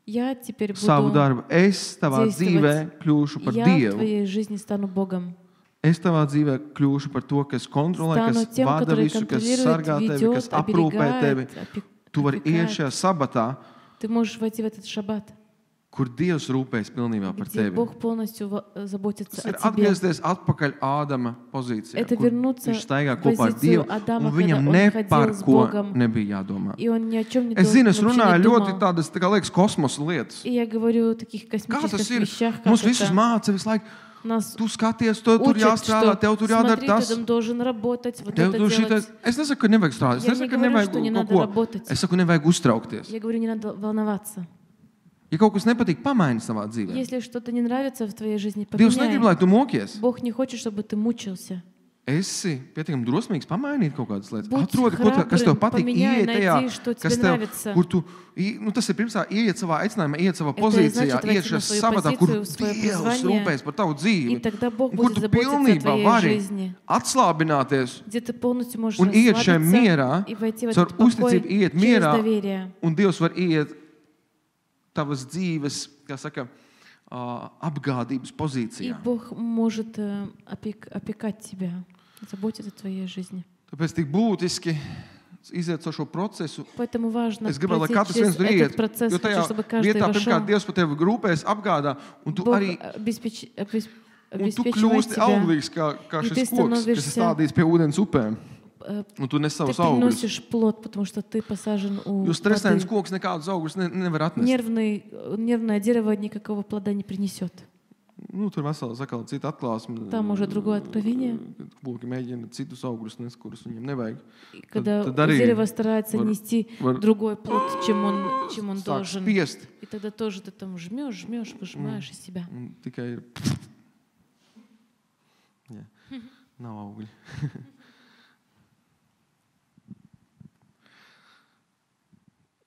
я теперь savu буду, darbu. Es tavā действовать. dzīvē kļūšu par я в Dievu. твоей жизни стану Богом. Es tavā dzīvē kļūšu par to, kas kontrolē, Стану kas тем, vada который visu, kas контролирует, sargā tevi, ведет, kas aprūpē tevi. оберегает, Tu vari iet šajā sabatā, Ты можешь войти в этот шаббат, kur Dievs rūpēs pilnībā par где tevi. Бог полностью заботится Tas о ir тебе. atgriezties atpakaļ Ādama pozīcijā, Это kur вернуться viņš staigā в kopā ar позицию Dievu, Адама, un viņam когда он ne ходил par с ko Богом. nebija jādomā. И он ни о чем не Es zinu, es вообще runāju не ļoti думал. tādas, tā kā liekas, kosmosa lietas. И я говорю о таких Kā космических tas ir? вещах, как Mums visus это. māca visu laiku. Нас Tu skaties, to tur учат, jāstrādā, что tev tur jādara смотри, tas. ты там должен работать, вот Tev это tur делать. šitais. Es nesaku, ka nevajag strādāt. Es Я nesaku, не ka говорю, nevajag что не kaut надо ko. работать. Es saku, nevajag uztraukties. Я говорю, не надо волноваться. Ja kaut kas nepatīk, pamaini savā dzīvē. Если что-то не нравится в твоей жизни, Dievs negrib, поменяй. lai tu mokies. Бог не хочет, чтобы ты мучился. Esi pietiekami drosmīgs pamainīt kaut kādas lietas. Будь Atrodi, ko kas tev храбрым, patīk, поменяй, ieiet tajā, найди, что тебе kas tev, нравится. kur tu, nu tas ir pirmsā, ieiet savā aicinājumā, ieiet savā Это pozīcijā, значит ieiet войти на šajā свою sabatā, kur позицию, в свое Dievs призвание, rūpēs par tavu И dzīvi, тогда Бог un kur будет tu заботиться о pilnībā твоей vari жизни, atslābināties где ты полностью можешь un iet šajā расслабиться mierā, и войти в caur этот покой uzticību iet через mierā, доверие. un Dievs var iet tavas dzīves, kā saka, apgādības И pozīcijā. Бог может опекать тебя, заботиться о твоей жизни. Tāpēc tik būtiski iziet caur šo procesu. Поэтому важно Es gribētu, lai пройти katrs через viens tur этот iet, процесс, jo tajā хочу, чтобы каждый vietā, pirmkārt, вошел. Dievs par tevi rūpēs, apgādā, un tu Бог arī un tu обеспечивает kļūsti тебя. auglīgs, kā И ты šis koks, kas ir становишься- stādīts pie ūdens upēm, un tu nes Ты savus augļus. приносишь плод, потому что ты посажен у Jo stresains воды. koks nekādus augļus nevar atnest. Нервное дерево никакого плода не принесет. Nu, tur vesela sakala cita atklāsme. Там уже другое откровение. Koki mēģina citus augļus nest, kurus viņiem nevajag. И когда Tad arī дерево старается var- нести var- другой плод, чем он Sāk должен. spiest, И тогда тоже ты там жмешь, выжимаешь из себя. un tikai ir... Jā, nav augļi.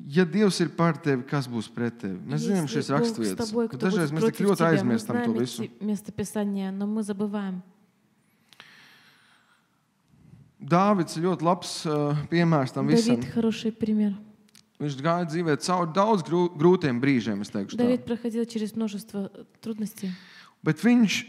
Ja Dievs ir par tevi, kas būs pret tevi? Mēs zinām šīs Если Бог с raksturvietas. тобой, Bet кто dažreiz будет mēs tik против ļoti тебя, мы aizmirstam to знаем visu. эти местописания, но мы забываем. Dāvids ir ļoti labs piemērs tam visam. Давид хороший пример. Viņš gāja dzīvē cauri daudz grūtiem brīžiem, es teikšu tā. Давид проходил через множество трудностей. Bet viņš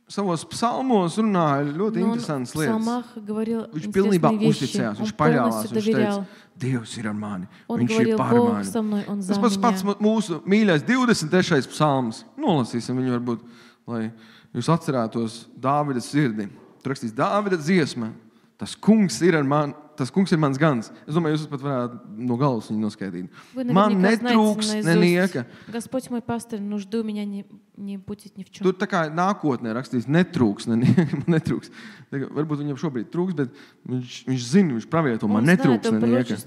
savos psalmos runāja ļoti Но он в interesantas lietas. псалмах говорил Viņš pilnībā интересные вещи. uzticējās, Он viņš paļāvās, полностью viņš teica, доверял. Dievs ir ar mani, Он viņš ir говорил, par Бог mani. со мной, Он за Tas pats меня. mūsu mīļais 23. psalms. Nolasīsim viņu varbūt, lai jūs atcerētos Dāvida sirdi. Tur rakstīs Dāvida dziesma. Tas kungs ir ar mani, tas kungs ir mans gans. Es domāju, jūs pat varētu no galvas viņu noskaidīt. Man netrūks nenieka. Господь мой пастырь, нужды у меня не будет ни в чем. Tur tā kā nākotnē rakstīts netrūks nenieka. Netrūks. Varbūt viņam šobrīd trūks, bet viņš zina, viņš pravieto, man netrūks nenieka.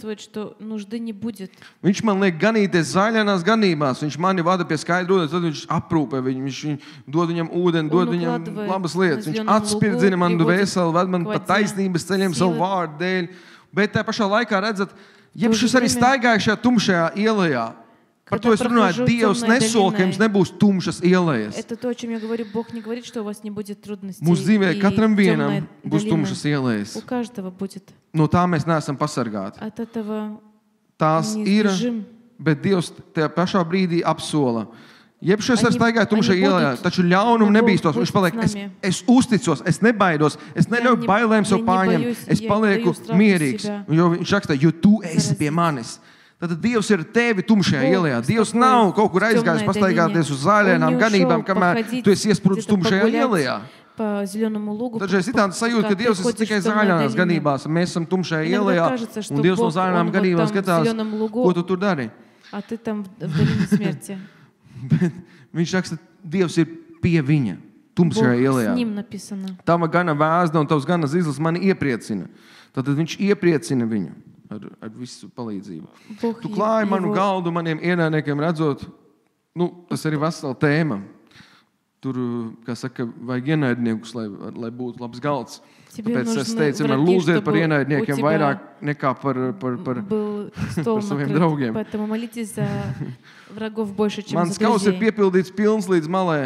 Viņš man liek ganīties zaļainās ganībās. Viņš mani vada pie skaidra ūdens, tad viņš aprūpē viņu. Viņš dod viņam ūdeni, dod viņam labas lietas. Viņš atspirdzina man dvēseli, ved man pa taisnības ceļiem savu vārdu dēļ. Bet tā pašā laikā redzat, jebšas arī staigāja šajā tumšajā ielajā. Par to es runāju, Dievs nesola, ka jums nebūs tumšas ielas. Mūsu dzīvē katram vienam būs tumšas ielas. No tā mēs neesam pasargāti. Tās ir, bet Dievs tajā pašā brīdī apsola. Jebšas ar staigāju tumšajā ielā, taču ļaunumu nebīstos. Viņš paliek, es uzticos, es nebaidos, es neļauju bailēm sev pārņemt, es palieku mierīgs. Jo viņš raksta, jo tu esi pie manis. Tad Dievs ir tevi tumšajā ielā. Dievs nav kaut kur aizgājis pastaigāties uz zaļainām ganībām, kamēr tu esi iesprūdis tumšajā ielā. Dažreiz ir tāda sajūta, ka Dievs ir tikai zaļainās ganībās, un mēs esam tumšajā ielā, un Dievs no zaļainām ganībām skatās, ko tu tur dari. Bet viņš raksta, Dievs ir pie viņa, tumšajā ielā. Tava gana vēzda un tavs gana zizlis mani iepriecina. Tad viņš iepriecina viņu ar visu palīdzību. Tu klāji manu galdu maniem ienaidniekiem redzot, tas arī vesela tēma. Tur, kā saka, vajag ienaidniekus, lai būtu labs galds. Tāpēc es teicu, man lūdziet par ienaidniekiem vairāk nekā par saviem draugiem. Mans kauss ir piepildīts pilns līdz malē.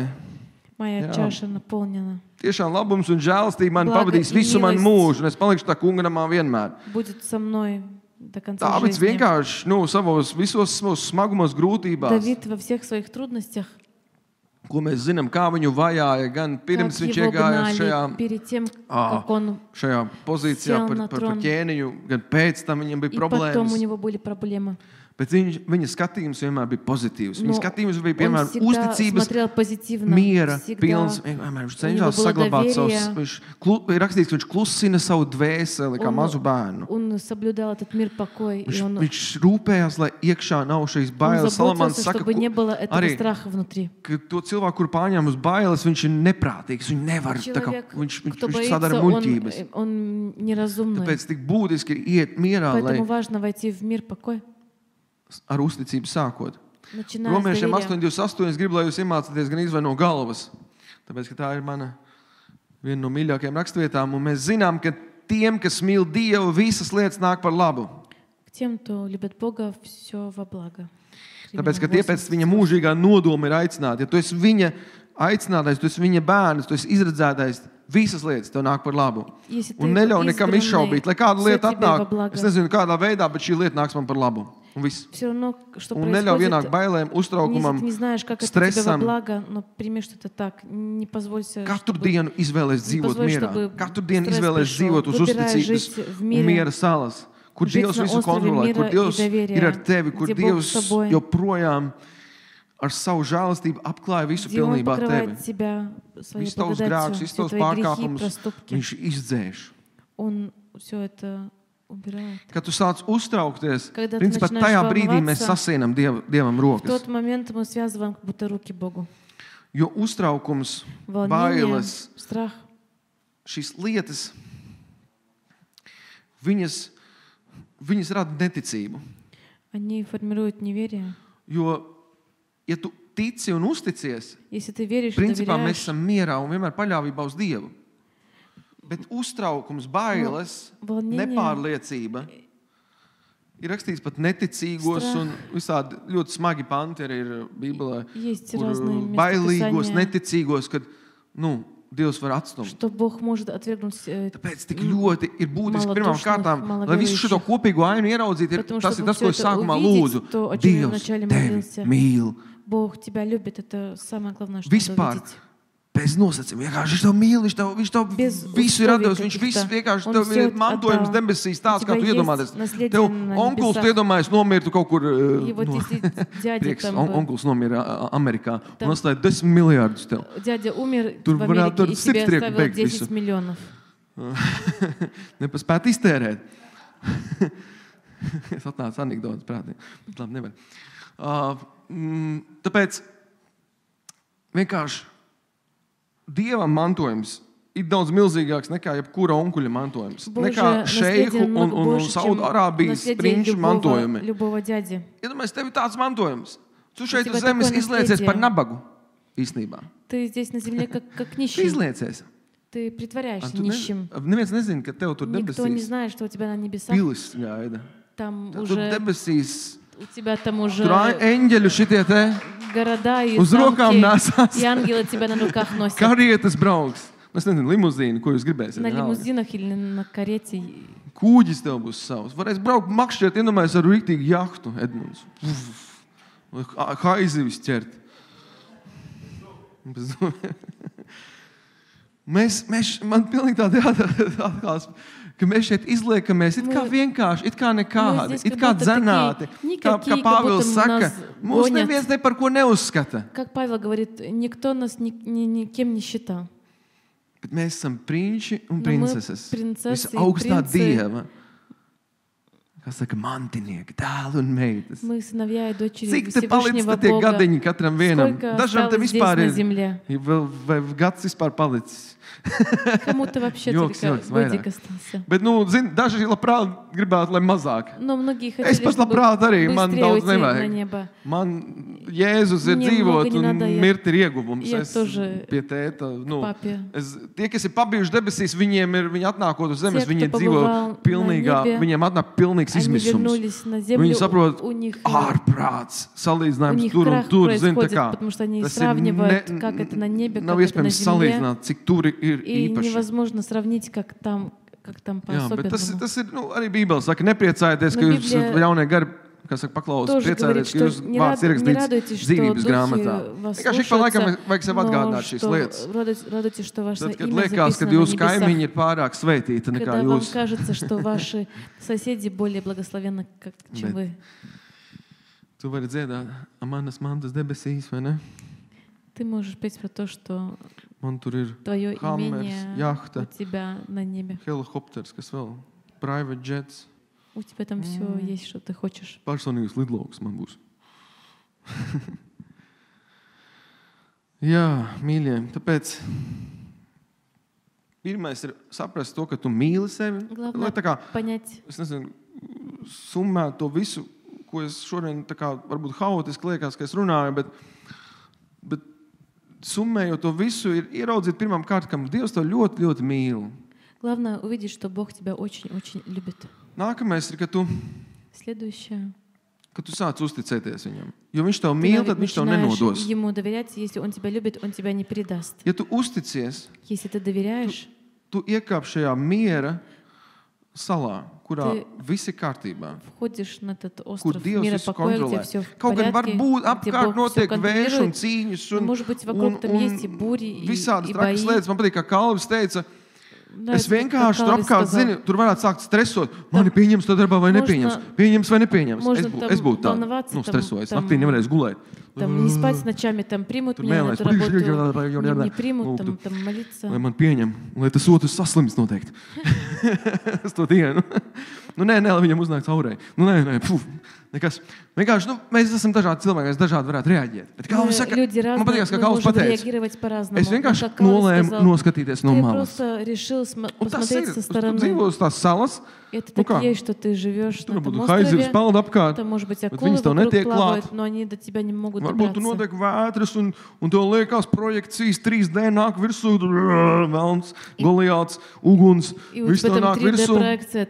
Tiešām labums un žēlastība man pavadīs visu manu mūžu, un es palikšu tā kunga namā vienmēr. Dāvids vienkārši savos visos smagumos, grūtībās, ko mēs zinām, kā viņu vajāja, gan pirms viņš iegājās šajā pozīcijā par ķēniņu, gan pēc tam viņam bija problēmas. Bet viņa skatījums vienmēr bija pozitīvs. Viņa skatījums bija, piemēram, uzticības, miera pilns. Viņš cenšas saglabāt savus. Viņš rakstīts, ka viņš klusina savu dvēseli kā mazu bērnu. Viņš rūpējās, lai iekšā nav šīs bailes. Salamans saka, arī, ka to cilvēku, kur pārņem uz bailes, viņš ir neprātīgs. Viņš nevar, viņš sadara muļķības. Tāpēc tik būtiski ir iet mierā, lai ar uzticību sākot. Romiešiem 8:28 es gribu, lai jūs iemācāties gan izvai no galvas. Tāpēc, ka tā ir viena no mīļākajām rakstvietām. Un mēs zinām, ka tiem, kas mīl Dievu, visas lietas nāk par labu. Tāpēc, ka tie pēc viņa mūžīgā nodoma ir aicināti. Ja tu esi viņa aicinātais, tu esi viņa bērns, tu esi izredzētais, visas lietas tev nāk par labu. Un neļauj nekam izšaubīt, lai kāda lieta atnāk. Es nezinu, kādā veidā, bet šī lieta nāks man par labu. Un neļauj vienāk bailēm, uztraukumam, stresam. Katru dienu izvēlēs dzīvot mierā. Katru dienu izvēlēs dzīvot uz uzticības un miera salas, kur Dievs visu kontrolē, kur Dievs ir ar tevi, kur Dievs joprojām ar savu žēlastību apklāja visu pilnībā tevi. Visus tavus grēkus, visus tavus pārkāpumus viņš izdzēš. Kad tu sāc uztraukties, principā tajā brīdī mēs sasienam Dievam rokas. Jo uztraukums, bailes, šīs lietas, viņas rada neticību. Jo, ja tu tici un uzticies, principā mēs esam mierā un vienmēr paļāvībā uz Dievu. Bet uztraukums, bailes, nepārliecība ir rakstīts pat neticīgos un visādi ļoti smagi panti arī ir Bībelē, kur bailīgos, neticīgos, kad, Dievs var atstumt. Tāpēc tik ļoti ir būtiski pirmām kārtām, lai visu šo kopīgo ainu ieraudzītu, tas ir tas, ko es sākumā lūdzu. Dievs tevi mīl. Vispār. Bez nosacījuma. Viņš tev mīl, viņš tev visu ir atdevis, viņš visu vienkārši tev ir mantojums debesīs tāds, kā tu iedomāties. Tev onkuls, tu iedomājies, nomirtu kaut kur, prieks, onkuls nomira Amerikā, un atstāja 10 miljārdus tev. Tur varētu sirdstrieku beigt visu. Nepaspēt iztērēt. Es atnācu anekdotas prātī. Labi, nevar. Tāpēc vienkārši Dievam mantojums ir daudz milzīgāks nekā jebkura onkuļa mantojums. Nekā šeihu un Saudārābijas prinču mantojumi. Iedomājies, tev ir tāds mantojums. Tu šeit uz zemes izliecies par nabagu īstenībā. Ты здесь на земле как нищий. Tu izliecies. Ты притворяешься нищим. Neviens nezina, ka tev tur debesīs. Никто не знает, что у тебя на небесах. Pilis gaida. Там Tur уже debesīs. у тебя там уже Tur eņģeļu šitie te города и uz rokām nesās. и ангелы тебя на руках носят. Karietas brauks. Es nezinu, limuzīnu, ko jūs gribēsiet. На лимузинах или на карете. Kūģis tev būs savs. Varēs braukt makšķiet, iedomājies ar rīktīgu jahtu, Edmunds. Haizivis ķert. Man pilnīgi tāda jāatklās, ka mēs šeit izliekamies it kā vienkārši, it kā nekādi, it kā dzenāti. Kā Pāvils saka, mūs neviens ne par ko neuzskata. Как Павел говорит, никто нас никем не считал. Bet mēs esam prinči un princeses. Visaugstā Dieva. Kā saka, mantinieki, dēli un meitas. Cik te palicis tie gadiņi katram vienam? Dažam te vispār ir vai gads vispār palicis. Кому-то вообще только годик остался. Bet, zini, daži labprāt gribētu, lai mazāk. Но многие хотели, es pats labprāt arī, man daudz на nevajag. небо. Man Jēzus ir dzīvot un mirt ir ieguvums. Я Es тоже pie tēta, папе. Tie, kas ir pabijuši debesīs, viņi atnākot uz zemes, Те, viņi кто dzīvo побывал pilnīgā, на небе, viņiem atnāk pilnīgs Они izmisums. вернулись на землю, Viņi saprot, у них ārprāts, у salīdzinājums них tur un крах tur, zin, tā происходит, kā. потому что они Tas ir сравнивают, как это на небе, nav как это на iespējams земле. salīdzināt, cik tur ir И īpaši. невозможно сравнить, как там Jā, bet по-особенному. tas ir, arī Bībele saka, nepriecājieties, ka Nu, jūs Biblija jaunie gari, kas saka, paklaus, тоже говорит, priecājieties, что ka jūs не vārds ierakstīts радуйтесь, что dzīvības духи grāmatā. вас Vienkārši ik pa laikam слушаются, vajag sev atgādināt šīs lietas. но радуйтесь, что ваше Tad, kad имя liekas, ka записано на jūsu kaimiņi небесах. ir pārāk svētīti nekā Когда вам jūs. кажется, что ваши соседи более благословенны, чем вы. Tu vari dziedāt, manas mantas debesīs, vai ne? Ты можешь петь про то, что Man tur ir твое hammers, имение jahta, у тебя на небе. helikopters, kas vēl, private jets. У тебя там все есть, что ты хочешь. Personīgs lidlauks man būs. Jā, mīļie, tāpēc pirmais ir saprast to, ka tu mīli sevi. Главное Tā kā, понять, es nezinu, summēt to visu, ko es šodien tā kā varbūt haotiski liekas, ka es runāju, bet summējot to visu, ir ieraudzīt pirmām kārtām, ka Dievs to ļoti, ļoti mīl. главное увидеть, что Бог тебя очень-очень любит. Nākamais ir, ka tu Следующее. sāc uzticēties viņam. Jo viņš tev mīl, tad viņš tev nenodos. Ему доверять, если он тебя любит, он тебя не предаст. Ja tu uzticies, Если ты доверяешь, tu iekāp šajā miera salā, kurā viss ir kārtībā. входишь на этот Kur остров Dievs мира visu покоя, где kontrolē. все в Kaut gan порядке, varbūt где apkārt Бог все notiek vējš un контролирует. cīņas Может быть, вокруг там есть и бури, visādas и бои. trakas lietas. Man patīk, kā Kalvis teica, es Nāc, vienkārši tur kā apkārt Kalvis zinu, tur varētu sākt stresot. Mani pieņems to darbā vai nepieņems? Pieņems vai nepieņems? Можно Es būtu tā, волноваться, stresojis. там, Naktī nevarēs gulēt. Там не спать ночами, там примут Tur меня на mēlēs, эту работу, не примут, там молиться. Lai man pieņem, lai tas otrs saslims noteikti. Es to dienu. Nē, lai viņam uznāk caurē. Nē, nekas. Vienkārši, mēs esam dažādi cilvēki, mēs dažādi varētu reaģēt. Bet kā viņš saka, man patīk, ka Kalvis pateica, es vienkārši nolēmu noskatīties no malas. Un tas ir, tu dzīvo uz tās salas, Это так есть, что ты живешь на этом haizivs острове. peld apkārt, Там, может быть, bet акулы viņas tev вокруг netiek плавают, klāt. но они до тебя не могут Varbūt tu добраться. notiek vētras un tev liekas projekcijas 3D nāk virsū, tur velns, Goliāts, uguns, И у viss тебя tev там nāk virsū. 3D-проекция,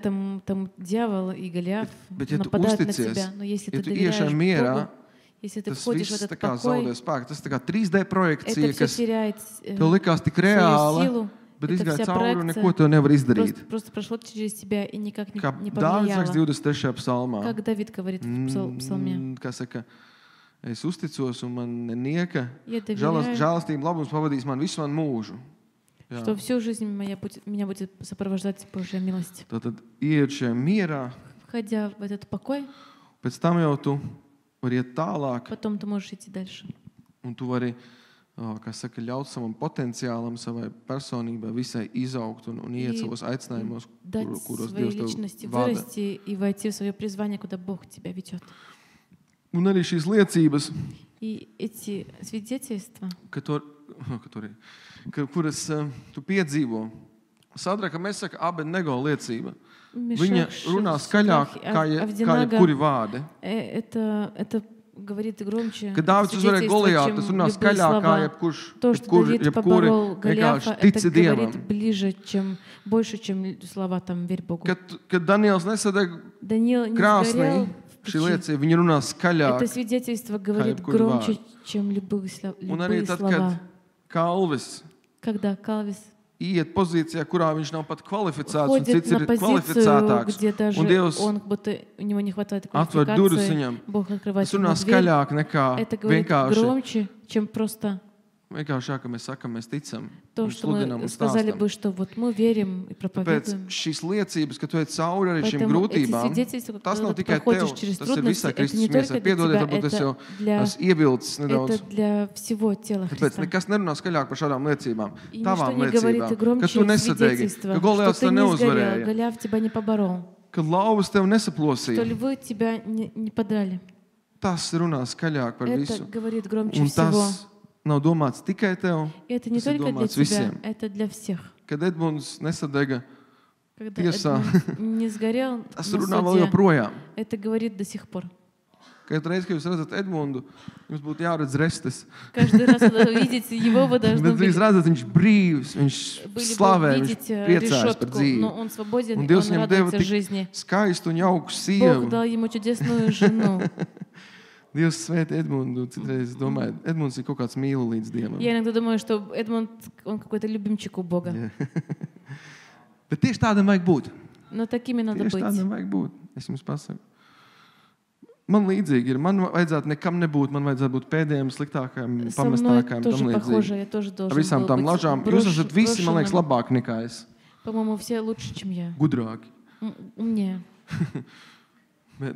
там дьявол и Голиаф Bet ja tu нападают на uzticies, тебя. Но если ja ты tu доверяешь iešai mierā, Богу, если ты tas входишь в viss tā этот kā покой, zaudē spēku. Tas tā kā 3D это projekcija, все kas теряет tev likās tik свою reāla, силу. bet Это izgāja вся cauri un проекция neko tev nevar izdarīt. просто прошло через тебя и никак Kā не Dāvids saka повлияло. 23. psalmā. Как Давид говорит в псалме. Kā saka, es uzticos un man nieka Я доверяю, žēlastība labums pavadīs man visu man mūžu. Jā. что всю жизнь меня будет сопровождать Божья милость. Tātad ieiet šajā mierā, Входя в этот покой, pēc tam jau tu vari iet tālāk потом ты можешь идти дальше. un tu vari kas saka, ļaut savam potenciālam, savai personībai visai izaugt un iet savos aicinājumos, kuros Dievs tev vada. И войти в свое призвание, куда Бог тебя ведет. Un arī šīs liecības, И эти свидетельства, kuras tu piedzīvo, Sadraka Mesaka Abednego liecība. Viņa runā skaļāk kā jebkuri vārdi. Это говорит громче. Kad Dāvids uzvarēja Goliātu, tas runā skaļāk kā jebkuri vienkārši tic Dievam. Больше, чем слова там верь Богу. Kad Daniels nesadeg krāsnī, šī liecība, viņa runā skaļāk. Это свидетельство говорит громче, чем любые слова. Un arī tad, kad Kalvis Когда Калвис iet pozīcijā, kurā viņš nav pat kvalificēts, un входит cits на ir позицию, kvalificētāks, где даже un Dievs он, будто у него не хватает atver durvis квалификации, viņam. Бог открывает Tas ему runā дверь. skaļāk nekā Это говорит громче, чем просто vienkārši, ka mēs sakam, mēs ticam, то, un что мы sludinam un сказали stāstam. бы, что вот мы верим и Tāpēc проповедуем. šīs liecības, ka tu ej cauri arī šīm Поэтому эти grūtībām, свидетельства, tas nav когда ты tikai tev, проходишь через tas ir visai трудности, это не Kristus только miesai. для Piedodiet, тебя, varbūt es jau для, esmu ievilcis nedaudz. это для всего тела Tāpēc Христа. nekas nerunā skaļāk par šādām liecībām, И tavām ничто не говорит liecībām, ka громче tu nesadegi, свидетельства, ka что Goliāts ты tev не сгорел, neuzvarēja, Голиаф тебя не поборол, ka lauvas tev что nesaplosīja. львы тебя не подрали. Tas runā skaļāk par Это visu. говорит громче Un всего. tas nav domāts tikai tev, И это не tas ir только для domāts тебя, visiem. это для всех. Kad Edmunds nesadega Когда tiesā, Эдмунд не сгорел tas на runā vēl суде, joprojām. это говорит до сих пор. Katru reizi, kad jūs redzat Edmundu, jums būtu jāredz restes. Каждый раз, когда вы видите его, вы должны Bet jūs redzat, viņš brīvs, viņš были slavē, бы viņš видеть priecājas par решетку, dzīvi. но он свободен, Un и Dievs он viņam deva радуется tik жизни. skaistu un jauku Бог sievu. дал ему чудесную жену. Dievs svētī Edmundu. Citreiz domāju, Edmunds ir kaut kāds mīlu līdz Dievam. Я иногда думаю, что Эдмунд, он какой-то любимчик у Бога. Bet tieši tādam vajag būt. Но такими надо Tieši быть. tādam vajag būt. Es jums pasaku. Man līdzīgi ir. Man vajadzētu nekam nebūt. Man vajadzētu būt pēdējiem, sliktākajiem, Со мной pamestākajiem, tam тоже похоже, līdzīgi. я тоже Ar должен visām был tām быть lažām. Jūs esat visi, man liekas, брошенным. labāki nekā es. По-моему, все лучше, чем я. Gudrāki. Умнее. Bet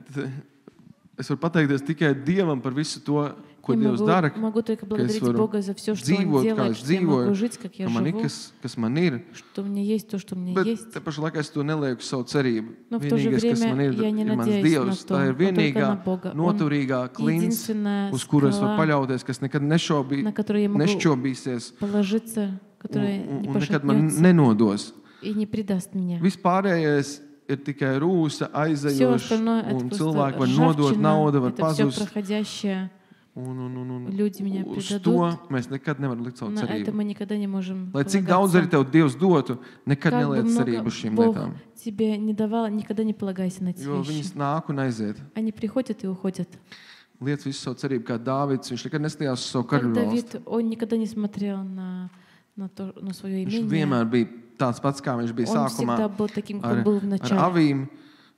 es varu pateikties tikai Dievam par visu to, ko Я Dievs dara. могу только Ka es благодарить varu Бога за все, что Он dzīvot, kā делает, es что я могу dzīvoju, жить, как я ka man ir, живу, kas man ir. что у меня есть то, что у меня Bet есть. te pašā laikā es to nelieku savu cerību. Но в то же Vienīgais, kas man время ir, я не ir mans надеюсь Dievs. на то, Tā ir но только vienīgā, на Бога. Он noturīgā klints, единственная uz kuru es varu скала, paļauties, kas nekad на которую я могу nešķobīsies положиться, которая не un nekad man пошатнется nenodos. и не предаст меня. Vispārējais ir tikai rūsa, Все aizejošs, остальное это un просто cilvēki var nodot, nauda ржавчина, var это все pazust. проходящее. Un Люди меня uz предадут. to mēs nekad nevaram likt savu На это cerību. мы никогда не можем Lai cik daudz arī полагаться. tev Dievs dotu, nekad Как бы neliec много cerību uz šīm Бог lietām. тебе не давал, никогда не полагайся на эти Jo вещи. viņas nāk un aiziet. Они приходят и уходят. Liec visu savu cerību kā Dāvids. Viņš nekad nestājās uz savu Как karaļu valsti. Давид, он никогда не смотрел на свое Viņš имение. vienmēr bija tāds pats, kā viņš bija Он sākumā всегда был таким, ar, как был в ar начале. avīm.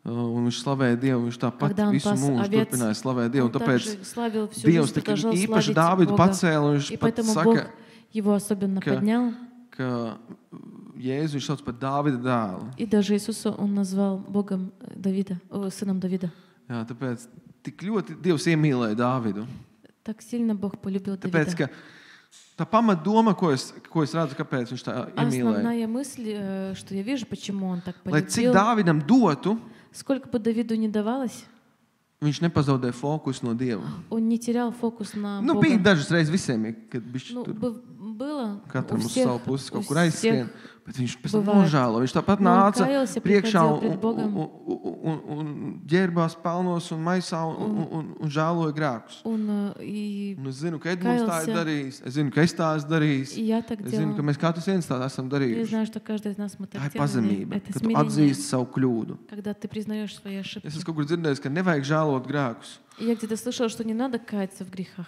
Un viņš slavēja Dievu. Viņš tāpat Когда он visu пас mūžu овец, turpināja slavēt Dievu. Он Un tāpēc также славил всю Dievs жизнь, tik продолжал īpaši славить Dāvidu Бога. pacēla. Un И viņš pat поэтому Бог saka, его особенно ka- поднял. ka Jēzu viņš sauc par Dāvida dēlu. И даже Иисуса он назвал Богом Давида, сыном Давида. Jā, tāpēc tik ļoti Dievs iemīlēja Dāvidu. Так сильно Бог полюбил Tāpēc, Давида. ka tā pamatdoma, ko es redzu, kāpēc viņš tā iemīlēja. Основная мысль, что я вижу, почему он так Lai cik полюбил, Dāvidam dotu, сколько бы Давиду не давалось, viņš nepazaudēja fokusu no Dieva. он не терял фокус на Nu, Бога. bija dažas reizes visiem, ir, kad viņš Ну, tur было katram у uz всех, savu pusi у kaut kur aizskrien. всех. Bet viņš pēc tam bывает. nožēlo. Viņš tāpat Но он nāca каялся, priekšā приходил пред Богом. un ģērbās pelnos un maisā un žēloja grēkus. Он и Un es zinu, ka Edmunds tā ir Каялся. darījis. Es zinu, ka es tā esmu darījis. я так Es zinu, ka делала. mēs katrs viens tā esam Я darījuši. знаю, что каждый из нас мы Tā так ir делали. pazemība, Это ka tu смирение, atzīsti savu kļūdu. когда ты признаешь свои Es ошибки. esmu kaut kur dzirdējis, ka nevajag žēlot grēkus. И я где-то слышала, что не надо каяться в грехах.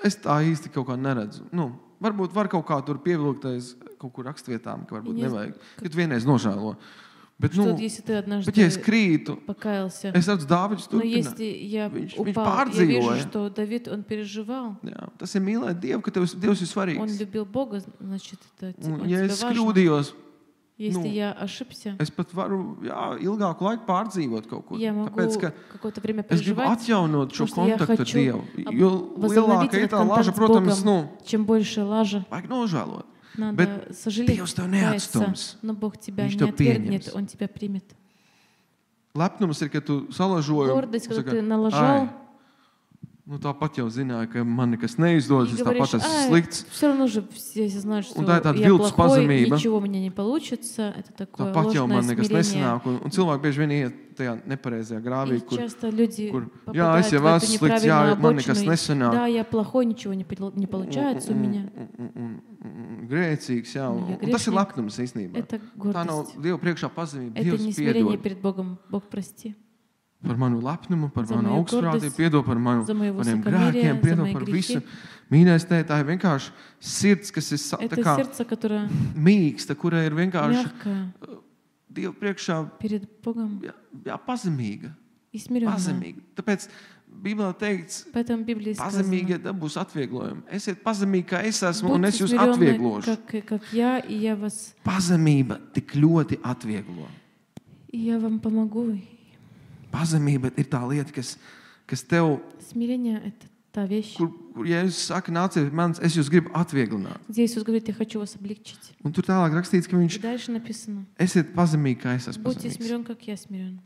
Es tā īsti kaut kā neredzu. Nu, varbūt var kaut kā tur pievilktais kaut kur rakstvietām, ka varbūt Ja nevajag. Kad vienreiz nožēlo. Bet, Что nu, если ты однажды bet ja es krītu, покаялся, es redzu, Dāvids но turpina. если я Viņš упал, я pārdzīvoja. вижу, что Давид, он переживал, Jā, tas ir mīlēt Dievu, ka Dievs ir он svarīgs. любил Бога, значит, это Un, он ja тебе es важно. kļūdījos, Если я ошибся, es pat varu ilgāku laiku pārdzīvot kaut ko. я могу какое-то время Es gribu проживать, atjaunot šo потому что я kontaktu ar хочу Dievu. Jo возобновить lielāka ir этот tā laža, контакт с Богом. protams, Чем больше лажа, vajag nožēlot. надо Bet сожалеть, Dievs tev каяться, neatstums. но Бог тебя Viņš не tev отвергнет, pieņems. Он тебя примет. Lepnums ir, kad tu salažoji. Гордость, когда ты налажал, Tāpat jau zināja, ka man nekas neizdodas, es tāpat esmu slikts. Все равно же все знают, что tā ir tāda я viltus плохой, pazemība. ничего у меня не получится. Это такое Tāpat jau man ложное nekas смирение. nesanāk. Un cilvēki bieži vien iet tajā nepareizajā grāvī, И часто люди es попадают в jau эту esmu slikts, jā, неправильную man nekas обочину. nesanāk. Да, я плохой, ничего не получается у меня. Grēcīgs, jā. Я Un tas ir грешник. lepnums īstenībā. Это Tā nav гордость. Dieva priekšā pazemība. Это Dievs не смирение piedod перед Богом. Бог, прости. par manu lepnumu, par За manu мою augstprātību, гордость, piedod par за мое maniem высокомерие, grēkiem, за piedod мои par грехи. visu. Mīļais tēvs, tā ir vienkārši sirds, kas ir tā Это kā сердце, которое mīksta, kurai ir vienkārši мягкое Dieva priekšā перед Богом pazemīga. и смиренное. Pazemīga. Tāpēc Bībelē teikts, Поэтому в Библии pazemīgi сказано: dabūs atvieglojumi. Esiet pazemīgi, kā es esmu, un es будьте jūs смиренны, atvieglošu. как я, и я вас, Pazemība tik ļoti atvieglo. и я вам помогу. Pazemība ir tā lieta, kas tev, Смирение — это та вещь, kur Jēzus saka, nāciet pie manis, es jūs gribu atvieglināt. где Иисус говорит: я хочу вас облегчить. Un tur tālāk rakstīts, ka И viņš дальше написано: esiet pazemīgi, kā es esmu будьте pazemīgs. смирен, как я смирен.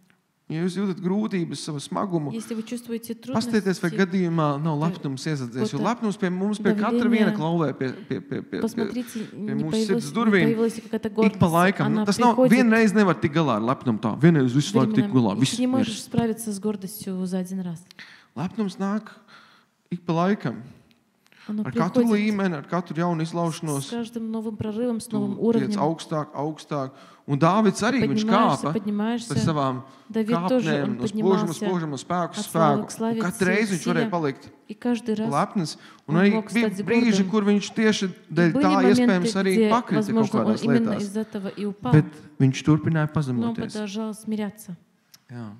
Ja jūs jūtat grūtības, savu smagumu, Если вы чувствуете paskatieties, vai трудности, gadījumā nav lepnums iesadzies. Jo lepnums pie mums, pie katra давление. viena klauvē, pie посмотрите, не mūsu sirds появилась durvīm. ли какая-то Ik pa гордость. laikam. Она Tas nav приходит vienreiz nevar tikt galā ar lepnumu tā. Vienreiz visu laiku tikt galā. временами, и Viss ты не можешь ir. справиться с гордостью за один раз. Lepnums nāk ik pa laikam. Оно Ar katru приходит līmeni, ar katru jaunu с izlaušanos. каждым новым прорывом, с Tu новым tiec уровнем. augstāk, augstāk. Un Dāvids arī viņš kāpa Поднимаешься. par savām Давид тоже, kāpnēm, он no spožuma, поднимался spožuma, spēku, от славы spēku. к славе, Un katru reizi viņš varēja palikt И каждый раз lepns. Un он arī мог bija стать brīži, гордым. kur viņš tieši dēļ были tā моменты, iespējams arī где, pakrita kaut возможно, он kādās именно lietās. из этого и упал, Bet viņš turpināja но он pazemoties. продолжал смиряться. Jā.